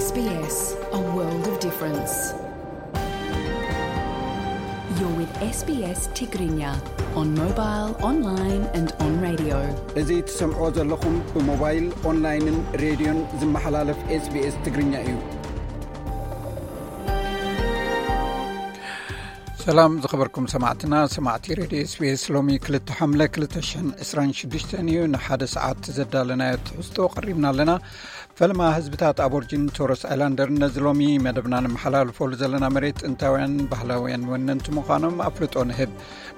S B S, a world of difference. You're with S B S Tigrinya on mobile, online and on radio. እዚ ትሰምዕዎ ዘለኹም ብሞባይል፣ ኦንላይንን ሬድዮን ዝመሓላለፍ SBS ትግርኛ እዩ። ሰላም ዝኸበርኩም ሰማዕትና፣ ሰማዕቲ ሬድዮ SBS። ሎሚ ክልተ ሓምለ ክልተ ሽሕን ዕስራን ሽዱሽተን እዩ። ንሓደ ሰዓት ዘዳለናዮ ትሕዝቶ ቀሪብና ኣለና። ፈለማ ህዝብታት ኣቦርጂን ቶረስ ኣይላንደርን ነዚ ሎሚ መደብና ንመሓላልፈሉ ዘለና መሬት ጥንታውያን ባህላውያን ወነንቲ ምዃኖም ኣፍልጦ ንህብ።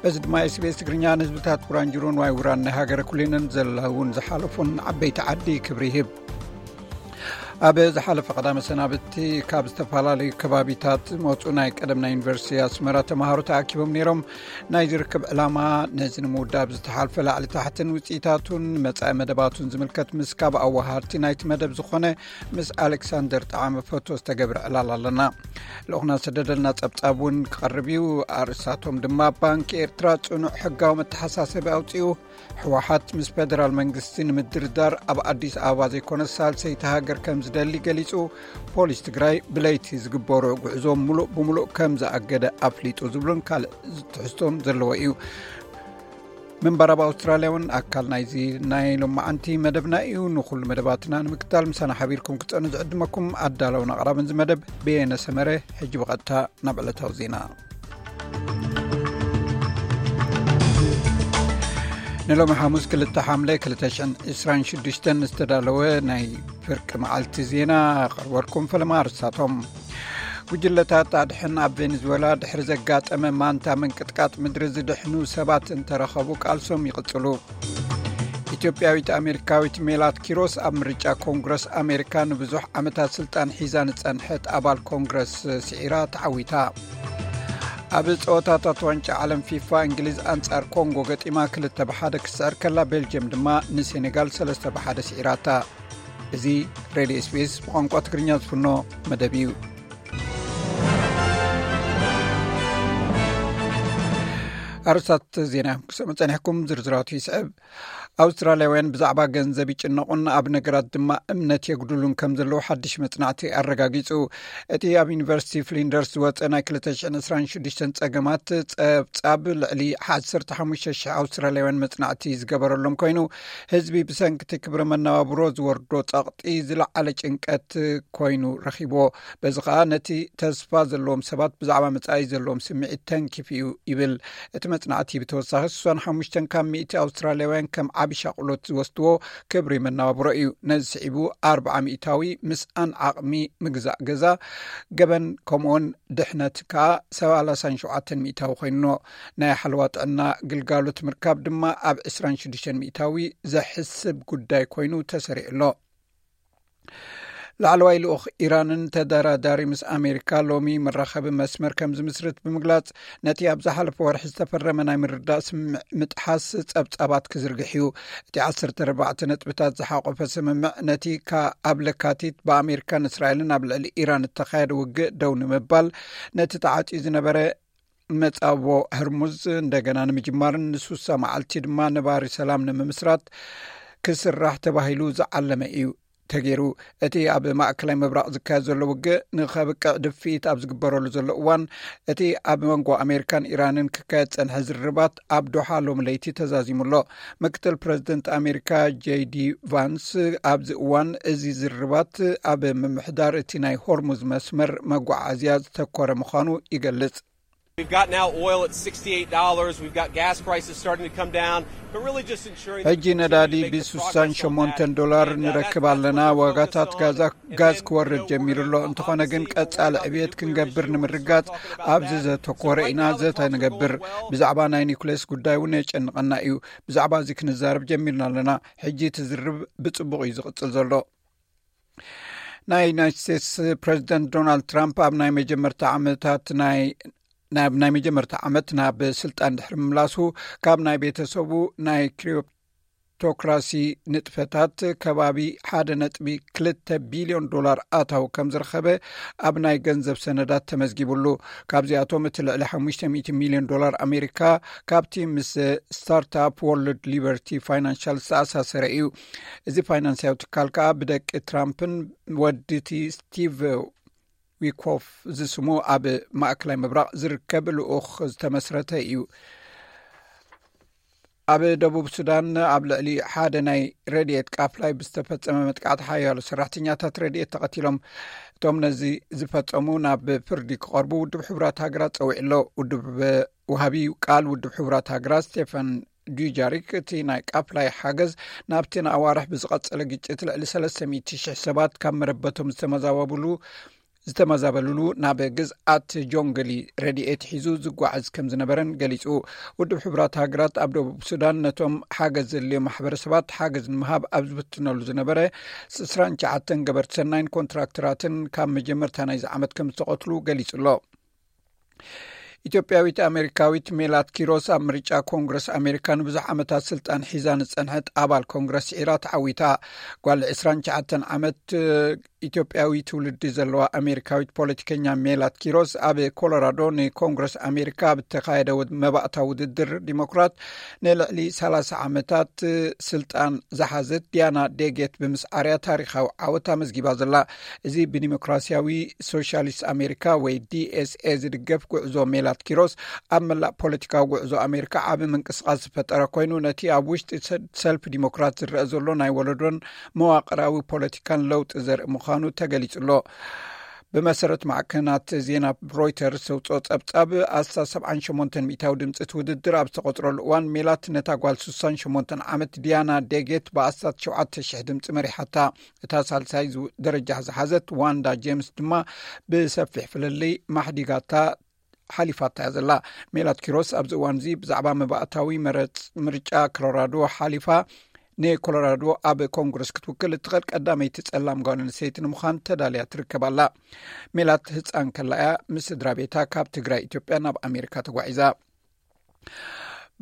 በዚ ድማ SBS ትግርኛ ንህዝብታት ጉራንጅሩን ዋይ ውራን ናይ ሃገረ ኩሊንን ዘለውን ዝሓለፉን ዓበይቲ ዓዲ ክብሪ ይህብ። ኣብ ዝሓለፈ ቀዳመ ሰናብቲ ካብ ዝተፈላለዩ ከባቢታት ዝመፁ ናይ ቀደም ናይ ዩኒቨርሲቲ ኣስመራ ተምሃሮ ተኣኪቦም ነይሮም። ናይ ዝርክብ ዕላማ ነዚ ንምውዳብ ዝተሓልፈ ላዕሊ ታሕትን ውፅኢታቱን መፃኢ መደባቱን ዝምልከት ምስ ካብ ኣወሃድቲ ናይቲ መደብ ዝኾነ ምስ ኣሌክሳንደር ጠዓመ ፎቶ ዝተገብረ ዕላል ኣለና። ልኡኽና ዝሰደደልና ጸብጻብ እውን ክቐርብ እዩ። ኣርእስታቶም ድማ ባንኪ ኤርትራ ጽኑዕ ሕጋዊ መተሓሳሰቢ ኣውጺኡ፣ ህወሓት ምስ ፌደራል መንግስቲ ንምድርዳር ኣብ ኣዲስ ኣበባ ዘይኮነ ሳልሰይቲ ሃገር ከም ዝደሊ ገሊጹ፣ ፖሊስ ትግራይ ብለይቲ ዝግበሩ ጉዕዞ ምሉእ ብምሉእ ከም ዝኣገደ ኣፍሊጡ ዝብሉን ካልእ ትሕዝቶን ዘለዎ እዩ። ምንባር ኣብ ኣውስትራልያ እውን ኣካል ናይዚ ናይ ሎማዓንቲ መደብና እዩ። ንኹሉ መደባትና ንምክታል ምሳና ሓቢርኩም ክትጸኑ ዝዕድመኩም ኣዳለውን ኣቕራብን እዚ መደብ በየነ ሰመረ። ሕጂ ብቐጥታ ናብ ዕለታዊ ዜና። ንሎሚ ሓሙስ ክልተ ሓምለ ክልተ ሽሕን ዕስራን ሽዱሽተን ዝተዳለወ ናይ ፍርቂ መዓልቲ ዜና ኣቕርበልኩም። ፈለማ ኣርስታቶም። ጉጅለታት ኣድሕን ኣብ ቬኔዙዌላ ድሕሪ ዘጋጠመ ማንታ ምንቅጥቃጥ ምድሪ ዝድሕኑ ሰባት እንተረኸቡ ቃልሶም ይቕጽሉ። ኢትዮጵያዊት ኣሜሪካዊት ሜላት ኪሮስ ኣብ ምርጫ ኮንግረስ ኣሜሪካ ንብዙሕ ዓመታት ስልጣን ሒዛ ንጸንሐት ኣባል ኮንግረስ ስዒራ ተዓዊታ። ኣብ ጸወታታት ዋንጫ ዓለም ፊፋ እንግሊዝ ኣንጻር ኮንጎ ገጢማ ክልተ ብሓደ ክትስዕር ከላ፣ ቤልጅየም ድማ ንሴኔጋል ሰለስተ ብሓደ ስዒራታ። እዚ ሬድዮ SBS ብቋንቋ ትግርኛ ዝፍኖ መደብ እዩ። ኣርእስታት ዜና ክሰምዑ ጸኒሕኩም፣ ዝርዝራቱ ይስዕብ። ኣውስትራልያውያን ብዛዕባ ገንዘብ ይጭነቑን ኣብ ነገራት ድማ እምነት የጉድሉን ከም ዘለዉ ሓድሽ መጽናዕቲ ኣረጋጊጹ። እቲ ኣብ ዩኒቨርሲቲ ፍሊንደርስ ዝወጸ ናይ ክልተ ሽሕን ዕስራን ሽዱሽተን ጸገማት ጸብጻብ ልዕሊ ዓሰርተ ሓሙሽተ ሽሕ ኣውስትራልያውያን መጽናዕቲ ዝገበረሎም ኮይኑ፣ ህዝቢ ብሰንኪ እቲ ክብሪ መነባብሮ ዝወርዶ ጸቕጢ ዝለዓለ ጭንቀት ኮይኑ ረኺብዎ። በዚ ኸኣ ነቲ ተስፋ ዘለዎም ሰባት ብዛዕባ መጻኢ ዘለዎም ስምዒት ተንኪፉ እዩ ይብል። እቲ መጽናዕቲ ብተወሳኺ ስሳን ሓሙሽተን ካብ ሚእቲ ኣውስትራልያውያን ከም ዓቢ ሻቕሎት ዝወስድዎ ክብሪ መነባብሮ እዩ። ነዚ ስዒቡ ኣርብዓ ሚእታዊ ምስኣን ዓቕሚ ምግዛእ ገዛ፣ ገበን ከምኡውን ድሕነት ከኣ ሰላሳን ሸውዓተን ሚእታዊ ኮይኑዎ። ናይ ሓለዋ ጥዕና ግልጋሎት ምርካብ ድማ ኣብ ዕስራን ሽዱሽተን ሚእታዊ ዘሕስብ ጉዳይ ኮይኑ ተሰሪዑ ኣሎ። ላዕለዋይ ልኡኽ ኢራንን ተደራዳሪ ምስ ኣሜሪካ ሎሚ መራኸቢ መስመር ከም ዝምስርት ብምግላጽ፣ ነቲ ኣብ ዝሓለፈ ወርሒ ዝተፈረመ ናይ ምርዳእ ስምምዕ ምጥሓስ ጸብጻባት ክዝርግሕ እዩ። እቲ ዓሰርተ ኣርባዕተ ነጥብታት ዝሓቖፈ ስምምዕ፣ ነቲ ካብ ለካቲት ብኣሜሪካን እስራኤልን ኣብ ልዕሊ ኢራን እተኻየደ ውግእ ደው ንምባል፣ ነቲ ተዓጽዩ ዝነበረ መጻብቦ ህርሙዝ እንደገና ንምጅማርን ንሱሳ መዓልቲ ድማ ነባሪ ሰላም ንምምስራት ክስራሕ ተባሂሉ ዝዓለመ እዩ ተገይሩ። እቲ ኣብ ማእከላይ ምብራቕ ዝካየድ ዘሎ ውግእ ንኸብቅዕ ድፍኢት ኣብ ዝግበረሉ ዘሎ እዋን፣ እቲ ኣብ መንጎ ኣሜሪካን ኢራንን ክካየድ ጸንሐ ዝርርባት ኣብ ዶሓ ሎሚ ለይቲ ተዛዚሙ ኣሎ። ምክትል ፕረዚደንት ኣሜሪካ ጄዲ ቫንስ ኣብዚ እዋን፣ እዚ ዝርርባት ኣብ ምምሕዳር እቲ ናይ ሆርሙዝ መስመር መጓዓዝያ ዝተኮረ ምዃኑ ይገልጽ። We've got now oil at sixty-eight dollars. We've got gas prices starting to come down, but really just ensuring that ሕጂ ነዳዲ ብስሳን ሸሞንተን ዶላር ንረክብ ኣለና። ዋጋታት ጋዛ ጋዝ ክወርድ ጀሚሩ ኣሎ። እንተኾነ ግን ቀጻሊ ዕብየት ክንገብር ንምርጋጽ ኣብዚ ዘተኮረ ኢና ዘተ ንገብር። ብዛዕባ ናይ ኒኩሌስ ጉዳይ እውን የጨንቐና እዩ። ብዛዕባ እዚ ክንዛረብ ጀሚርና ኣለና። ሕጂ እቲ ዝርብ ብጽቡቕ እዩ ዝቕጽል ዘሎ። ናይ ዩናይትድ ስቴትስ ፕረዚደንት ዶናልድ ትራምፕ ኣብ ናይ መጀመርታ ዓመታት ናይ ናብ ናይ መጀመርታ ዓመት ናብ ስልጣን ድሕሪ ምምላሱ፣ ካብ ናይ ቤተሰቡ ናይ ክሪዮ ቶክራሲ ንጥፈታት ከባቢ ሓደ ነጥቢ ክልተ ቢልዮን ዶላር ኣታው ከም ዝረኸበ ኣብ ናይ ገንዘብ ሰነዳት ተመዝጊቡሉ። ካብዚኣቶም እቲ ልዕሊ ሓሙሽተ ሚእቲ ሚልዮን ዶላር ኣሜሪካ ካብቲ ምስ ስታርታፕ ወርልድ ሊበርቲ ፋይናንሻል ዝተኣሳሰረ እዩ። እዚ ፋይናንሳዊ ትካል ከኣ ብደቂ ትራምፕን ወዲቲ ስቲቭ ዊኮፍ ዝስሙ ኣብ ማእከላይ ምብራቕ ዝርከብ ልኡኽ ዝተመስረተ እዩ። ኣብ ደቡብ ሱዳን ኣብ ልዕሊ ሓደ ናይ ረድኤት ቃፍላይ ብዝተፈጸመ መጥቃዕቲ ሓያሎ ሰራሕተኛታት ረድኤት ተቐቲሎም። እቶም ነዚ ዝፈጸሙ ናብ ፍርዲ ክቐርቡ ውድብ ሕቡራት ሃገራት ጸዊዑ ኣሎ። ውድብ ወሃቢ ቃል ውድብ ሕቡራት ሃገራት ስቴፈን ዱጃሪክ እቲ ናይ ቃፍላይ ሓገዝ ናብቲ ንኣዋርሕ ብዝቐጸለ ግጭት ልዕሊ ሰለስተ ሚእቲ ሽሕ ሰባት ካብ መረበቶም ዝተመዛበብሉ ዝተመዛበልሉ ናብ ግዝኣት ጆንግሊ ረድኤት ሒዙ ዝጓዓዝ ከም ዝነበረን ገሊጹ። ውድብ ሕቡራት ሃገራት ኣብ ደቡብ ሱዳን ነቶም ሓገዝ ዘድልዮም ማሕበረሰባት ሓገዝ ንምሃብ ኣብ ዝፍትነሉ ዝነበረ ዕስራን ትሽዓተን ገበርቲ ሰናይን ኮንትራክተራትን ካብ መጀመርታ ናይዚ ዓመት ከም ዝተቐትሉ ገሊጹ ኣሎ። ኢትዮጵያዊት ኣሜሪካዊት ሜላት ኪሮስ ኣብ ምርጫ ኮንግረስ ኣሜሪካ ንብዙሕ ዓመታት ስልጣን ሒዛ ንጸንሐት ኣባል ኮንግረስ ስዒራ ተዓዊታ። ጓል ዕስራን ትሽዓተን ዓመት ኢትዮጵያዊ ትውልዲ ዘለዋ ኣሜሪካዊት ፖለቲከኛ ሜላት ኪሮስ ኣብ ኮሎራዶ ንኮንግረስ ኣሜሪካ ኣብ እተኻየደ ውድ- መባእታ ውድድር ዲሞክራት ንልዕሊ ሰላሳ ዓመታት ስልጣን ዝሓዘት ዲያና ዴጌት ብምስዓርያ ታሪኻዊ ዓወት ኣመዝጊባ ዘላ። እዚ ብዲሞክራሲያዊ ሶሻሊስት ኣሜሪካ ወይ ዲ ኤስ ኤ ዝድገፍ ጉዕዞ ሜላት ኪሮስ ኣብ መላእ ፖለቲካዊ ጉዕዞ ኣሜሪካ ዓቢ ምንቅስቃስ ዝፈጠረ ኮይኑ ነቲ ኣብ ውሽጢ ሰ- ሰልፊ ዲሞክራት ዝረአ ዘሎ ናይ ወለዶን መዋቕራዊ ፖለቲካን ለውጢ ዘርኢ ምዃኑ ተገሊጹ ኣሎ። ብመሰረት ማዕከናት ዜና ሮይተርስ ዘውፅኦ ጸብጻብ ኣስታት ሰብዓን ሸሞንተን ሚእታዊ ድምፂ እቲ ውድድር ኣብ ዝተቆፅረሉ እዋን ሜላት ነታ ጓል ስሳን ሸሞንተን ዓመት ዲያና ዴጌት ብኣስታት ሸውዓተ ሽሕ ድምፂ መሪሓታ። እታ ሳልሳይ ዝ- ደረጃ ዝሓዘት ዋንዳ ጄምስ ድማ ብሰፊሕ ፍልልይ ማሕዲጋታ ሓሊፋታ እያ ዘላ። ሜላት ኪሮስ ኣብዚ እዋን እዚ ብዛዕባ መባእታዊ መረፅ ምርጫ ኮሎራዶ ሓሊፋ ንኮሎራዶ ኣብ ኮንግረስ ክትውክል እትኽእል ቀዳመይቲ ጸላም ጓል ኣንስተይቲ ንምዃን ተዳልያ ትርከብ ኣላ። ሜላት ህፃን ከላ እያ ምስ ስድራ ቤታ ካብ ትግራይ ኢትዮጵያ ናብ ኣሜሪካ ተጓዒዛ።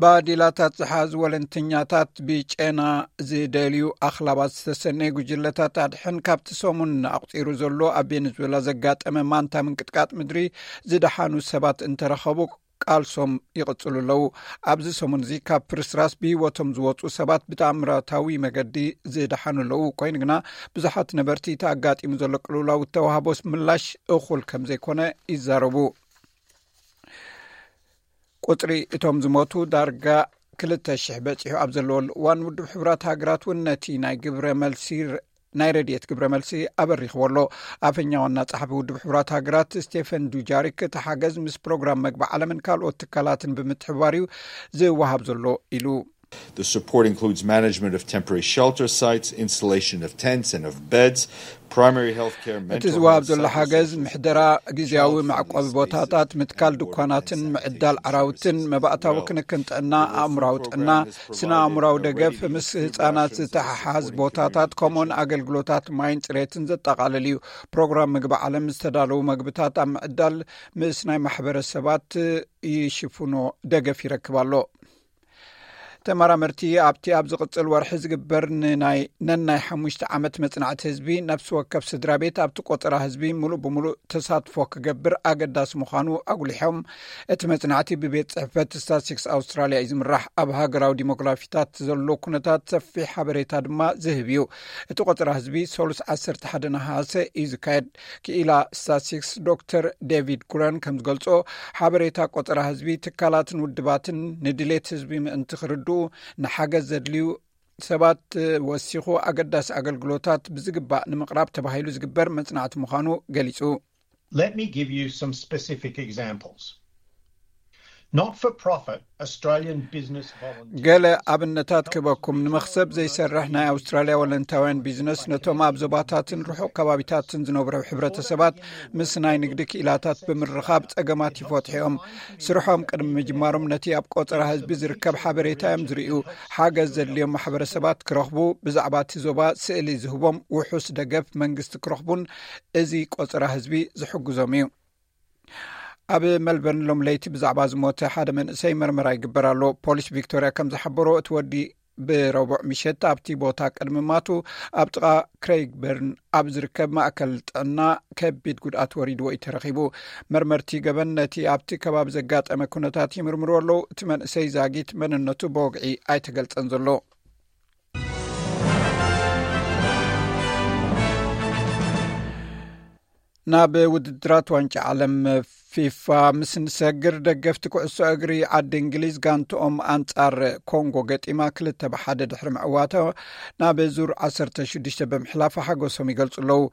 ባዲላታት ዝሓዙ ወለንተኛታት ብጨና ዝደልዩ ኣኽላባት ዝተሰነዩ ጉጅለታት ኣድሕን ካብቲ ሰሙን ኣቑፂሩ ዘሎ ኣብ ቬኔዙዌላ ዘጋጠመ ማንታ ምንቅጥቃጥ ምድሪ ዝደሓኑ ሰባት እንተረኸቡ ቃልሶም ይቕጽሉ ኣለዉ። ኣብዚ ሰሙን እዚ ካብ ፍርስራስ ብህይወቶም ዝወፁ ሰባት ብተኣምራታዊ መገዲ ዝደሓኑ ኣለዉ። ኮይኑ ግና ብዙሓት ነበርቲ እቲ ኣጋጢሙ ዘሎ ቅልውላው እተዋህቦ ምላሽ እኹል ከም ዘይኮነ ይዛረቡ። ቁጽሪ እቶም ዝሞቱ ዳርጋ ክልተ ሽሕ በጺሑ ኣብ ዘለወሉ እዋን ውድብ ሕቡራት ሃገራት እውን ነቲ ናይ ግብረ መልሲ ናይ ረድኤት ግብረ መልሲ ኣበሪኽዎ ኣሎ። ኣፈኛ ዋና ጸሓፊ ውድብ ሕቡራት ሃገራት ስቴፈን ዱጃሪክ እቲ ሓገዝ ምስ ፕሮግራም መግቢ ዓለምን ካልኦት ትካላትን ብምትሕብባር እዩ ዝወሃብ ዘሎ ኢሉ። The support includes management of temporary shelter sites, installation of tents and of beds, primary health care, እቲ mental ዝወሃብ health, ዘሎ ሓገዝ psychosocial ምሕደራ፣ ግዝያዊ child መዕቆቢ friendly ቦታታት፣ spaces, ምትካል and ድኳናትን boarding and ምዕዳል staycation ዓራውትን፣ services. መባእታዊ Well, ክንክን ጥዕና፣ the Wilson ኣእምራዊ program ጥዕና፣ has ስነ ኣእምራዊ provided ደገፍ፣ already ምስ hidden ህጻናት rations and ዝተሓሓዝ supporting ቦታታት፣ community ከምኡውን kitchens. ኣገልግሎታት ማይን ጽሬትን ዘጠቓልል እዩ። ፕሮግራም ምግቢ ዓለም ዝተዳለዉ መግብታት ኣብ ምዕዳል ምስ ናይ ማሕበረሰባት ይሽፍኖ ደገፍ ይረክብ ኣሎ። ተመራመርቲ ኣብቲ ኣብ ዝቕጽል ወርሒ ዝግበር ንናይ ነናይ ሓሙሽተ ዓመት መጽናዕቲ ህዝቢ ነፍሲ ወከፍ ስድራ ቤት ኣብቲ ቆጸራ ህዝቢ ምሉእ ብምሉእ ተሳትፎ ክገብር ኣገዳሲ ምዃኑ ኣጉሊሖም። እቲ መጽናዕቲ ብቤት ጽሕፈት ስታትስቲክስ ኣውስትራልያ እዩ ዝምራሕ። ኣብ ሃገራዊ ዲሞግራፊታት ዘሎ ኩነታት ሰፊሕ ሓበሬታ ድማ ዝህብ እዩ። እቲ ቆጸራ ህዝቢ ሰሉስ ዓሰርተ ሓደ ነሃሰ እዩ ዝካየድ። ክኢላ ስታትስቲክስ ዶክተር ዴቪድ ኩረን ከም ዝገልጾ፣ ሓበሬታ ቆጸራ ህዝቢ ትካላትን ውድባትን ንድሌት ህዝቢ ምእንቲ ክርድኡ ንሓገዝ ዘድልዩ ሰባት ወሲኹ ኣገዳሲ ኣገልግሎታት ብዝግባእ ንምቕራብ ተባሂሉ ዝግበር መጽናዕቲ ምዃኑ ገሊጹ። Let me give you some specific examples. Not for profit Australian business volunteers ገለ ኣብነታት ክበኩም። ንመኽሰብ ዘይሰርሕ ናይ ኣውስትራልያ ወለንታውያን ቢዝነስ ነቶም ኣብ ዞባታትን ርሑቕ ከባቢታትን ዝነብሩ ሕብረተሰባት ምስ ናይ ንግዲ ክኢላታት ብምርኻብ ጸገማት ይፈትሑ እዮም። ስርሖም ቅድሚ ምጅማሮም ነቲ ኣብ ቆጸራ ህዝቢ ዝርከብ ሓበሬታ እዮም ዝርእዩ። ሓገዝ ዘድልዮም ማሕበረሰባት ክረኽቡ፣ ብዛዕባ እቲ ዞባ ስእሊ ዝህቦም ውሑስ ደገፍ መንግስቲ ክረኽቡን እዚ ቆጸራ ህዝቢ ዝሕግዞም እዩ። ኣብ መልበርን ሎም ለይቲ ብዛዕባ ዝሞተ ሓደ መንእሰይ መርመራ ይግበር ኣሎ። ፖሊስ ቪክቶርያ ከም ዝሓበሮ እቲ ወዲ ብረቡዕ ምሸት ኣብቲ ቦታ ቅድሚ ማቱ ኣብ ጥቓ ክሬይግበርን ኣብ ዝርከብ ማእከል ጥዕና ከቢድ ጉድኣት ወሪድዎ እዩ ተረኺቡ። መርመርቲ ገበን ነቲ ኣብቲ ከባቢ ዘጋጠመ ኩነታት ይምርምሩ ኣለዉ። እቲ መንእሰይ ዛጊት መንነቱ ብወግዒ ኣይተገልጸን ዘሎ። ናብ ውድድራት ዋንጫ ዓለም ፊፋ ምስ ንሰግር፣ ደገፍቲ ኩዕሶ እግሪ ዓዲ እንግሊዝ ጋንትኦም ኣንጻር ኮንጎ ገጢማ ክልተ ብሓደ ድሕሪ ምዕዋታ ናብ ዙር ዓሰርተ ሽዱሽተ ብምሕላፋ ሓጎሶም ይገልጹ ኣለዉ።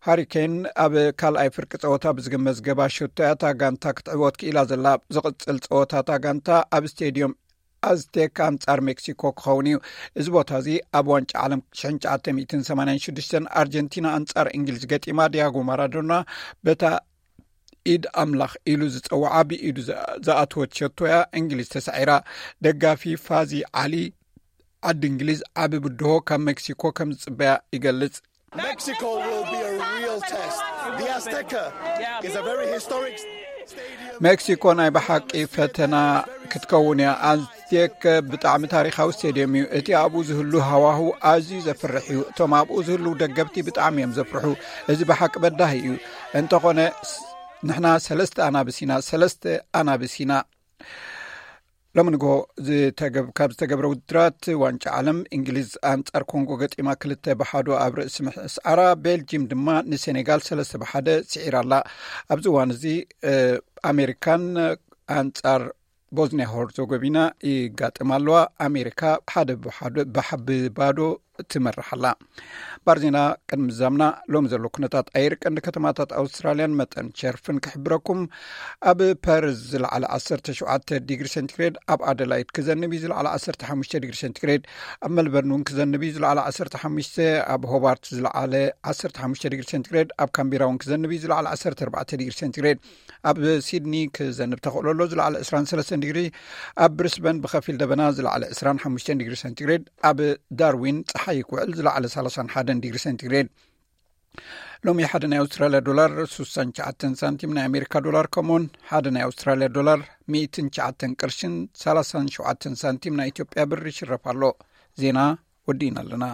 ሃሪኬን ኣብ ካልኣይ ፍርቂ ጸወታ ብዝግመት ዘገባ ሸቶ እያ እታ ጋንታ ክትዕወት ክኢላ ዘላ። ዝቕጽል ጸወታ እታ ጋንታ ኣብ ስቴድዮም ኣዝቴክ ኣንጻር ሜክሲኮ ክኸውን እዩ። እዚ ቦታ እዚ ኣብ ዋንጫ ዓለም ሽሕን ትሽዓተ ሚእትን ሰማንያን ሽዱሽተን ኣርጀንቲና ኣንጻር እንግሊዝ ገጢማ፣ ዲያጎ ማራዶና በታ ኢድ ኣምላኽ ኢሉ ዝጸውዓ ብኢዱ ዝኣ-፣ ዝኣተወት ሸቶ እያ እንግሊዝ ተሳዒራ። ደጋፊ ፋዚ ዓሊ ዓዲ እንግሊዝ ዓቢ ብድሆ ካብ ሜክሲኮ ከም ዝጽበያ ይገልጽ። Mexico will be a real test. The Azteca is a very historic stadium. ሜክሲኮ ናይ ብሓቂ ፈተና ክትከውን እያ። ኣዝቴክ ብጣዕሚ ታሪኻዊ ስቴድየም እዩ። እቲ ኣብኡ ዝህሉ ሃዋሁ ኣዝዩ ዘፍርሕ እዩ። እቶም ኣብኡ ዝህልዉ ደገፍቲ ብጣዕሚ እዮም ዘፍርሑ። እዚ ብሓቂ በዳሂ እዩ። እንተኾነ ስ-፣ ንሕና ሰለስተ ኣናብስ ኢና፣ ሰለስተ ኣናብስ ኢና። ሎሚ ንግሆ ዝተገብ-፣ ካብ ዝተገብረ ውድድራት ዋንጫ ዓለም፣ እንግሊዝ ኣንጻር ኮንጎ ገጢማ ክልተ ብሓዶ ኣብ ርእሲ ምስዓራ፣ ቤልጂም ድማ ንሴኔጋል ሰለስተ ብሓደ ስዒራ ኣላ። ኣብዚ እዋን እዚ፣ እ፣ ኣሜሪካን ኣንጻር ቦዝኒያ ሆርዞጎቪና ይጋጥማ ኣለዋ። ኣሜሪካ ሓደ ብሓዶ፣ ብሓ-፣ ብባዶ ትመርሕ ኣላ። ባር ዜና ቅድሚ ምዛምና፣ ሎሚ ዘሎ ኩነታት ኣየር ቀንዲ ከተማታት ኣውስትራልያን መጠን ሸርፍን ክሕብረኩም። ኣብ ፐርዝ ዝለዓለ ዓሰርተ ሸውዓተ ዲግሪ ሴንቲግሬድ፣ ኣብ ኣደላይድ ክዘንብ እዩ፣ ዝለዓለ ዓሰርተ ሓሙሽተ ዲግሪ ሴንቲግሬድ፣ ኣብ መልበርን እውን ክዘንብ እዩ፣ ዝለዓለ ዓሰርተ ሓሙሽተ፣ ኣብ ሆባርት ዝለዓለ ዓሰርተ ሓሙሽተ ዲግሪ ሴንቲግሬድ፣ ኣብ ካምቢራ እውን ክዘንብ እዩ፣ ዝለዓለ ዓሰርተ ኣርባዕተ ዲግሪ ሴንቲግሬድ፣ ኣብ ሲድኒ ክዘንብ ተኽእሎ ኣሎ፣ ዝለዓለ ዕስራን ሰለስተን ዲግሪ፣ ኣብ ብሪስበን ብኸፊል ደበና፣ ዝለዓለ ዕስራን ሓሙሽተን ዲግሪ ሴንቲግሬድ፣ ኣብ ዳርዊን ጸሓይ ክውዕል፣ ዝለዓለ ሰላሳን ሓደን ዲግሪ ሴንቲግሬድ። ሎሚ ሓደ ናይ ኣውስትራልያ ዶላር ስሳን ትሽዓተን ሳንቲም፣ ናይ ኣሜሪካ ዶላር ከምኡውን ሓደ ናይ ኣውስትራልያ ዶላር ሚእትን ትሽዓተን ቅርሽን ሰላሳን ሸውዓተን ሳንቲም ናይ ኢትዮጵያ ብር ይሽረፍ ኣሎ። ዜና ወዲእና ኣለና።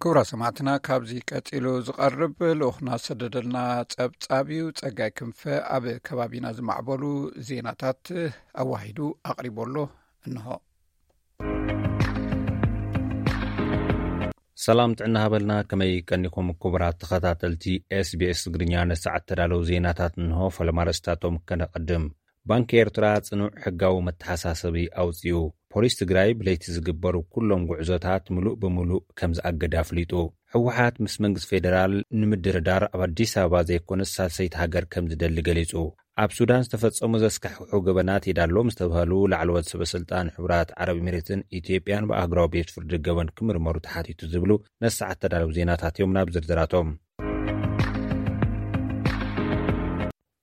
ክቡራት ሰማዕትና፣ ካብዚ ቀጺሉ ዝቐርብ ልኡኽና ዝሰደደልና ጸብጻብ እዩ። ጸጋይ ክንፈ ኣብ ከባቢና ዝማዕበሉ ዜናታት ኣዋሂዱ ኣቕሪቦ ኣሎ። እንሆ። ሰላም ጥዕና ሃበልና፣ ከመይ ቀኒኹም ክቡራት ተኸታተልቲ ኤስቢኤስ ትግርኛ? ንሰዓት ተዳለዉ ዜናታት እንሆ። ፈለማ ርእስታቶም ከነቐድም። ባንኪ ኤርትራ ጽኑዕ ሕጋዊ መተሓሳሰቢ ኣውጺኡ። ፖሊስ ትግራይ ብለይቲ ዝግበሩ ኩሎም ጉዕዞታት ምሉእ ብምሉእ ከም ዝኣገደ ኣፍሊጡ። ህወሓት ምስ መንግስቲ ፌደራል ንምድርዳር ኣብ ኣዲስ ኣበባ ዘይኮነስ ሳልሰይቲ ሃገር ከም ዝደሊ ገሊጹ። ኣብ ሱዳን ዝተፈጸሙ ዘስካሕክሑ ገበናት የዳሎም ዝተባህሉ ላዕለዎት ሰበ ስልጣን ሕቡራት ዓረብ ኤሚሬትን ኢትዮጵያን ብኣህጉራዊ ቤት ፍርዲ ገበን ክምርመሩ ተሓቲቱ ዝብሉ ነሰዓት ተዳለዉ ዜናታት እዮም። ናብ ዝርዝራቶም።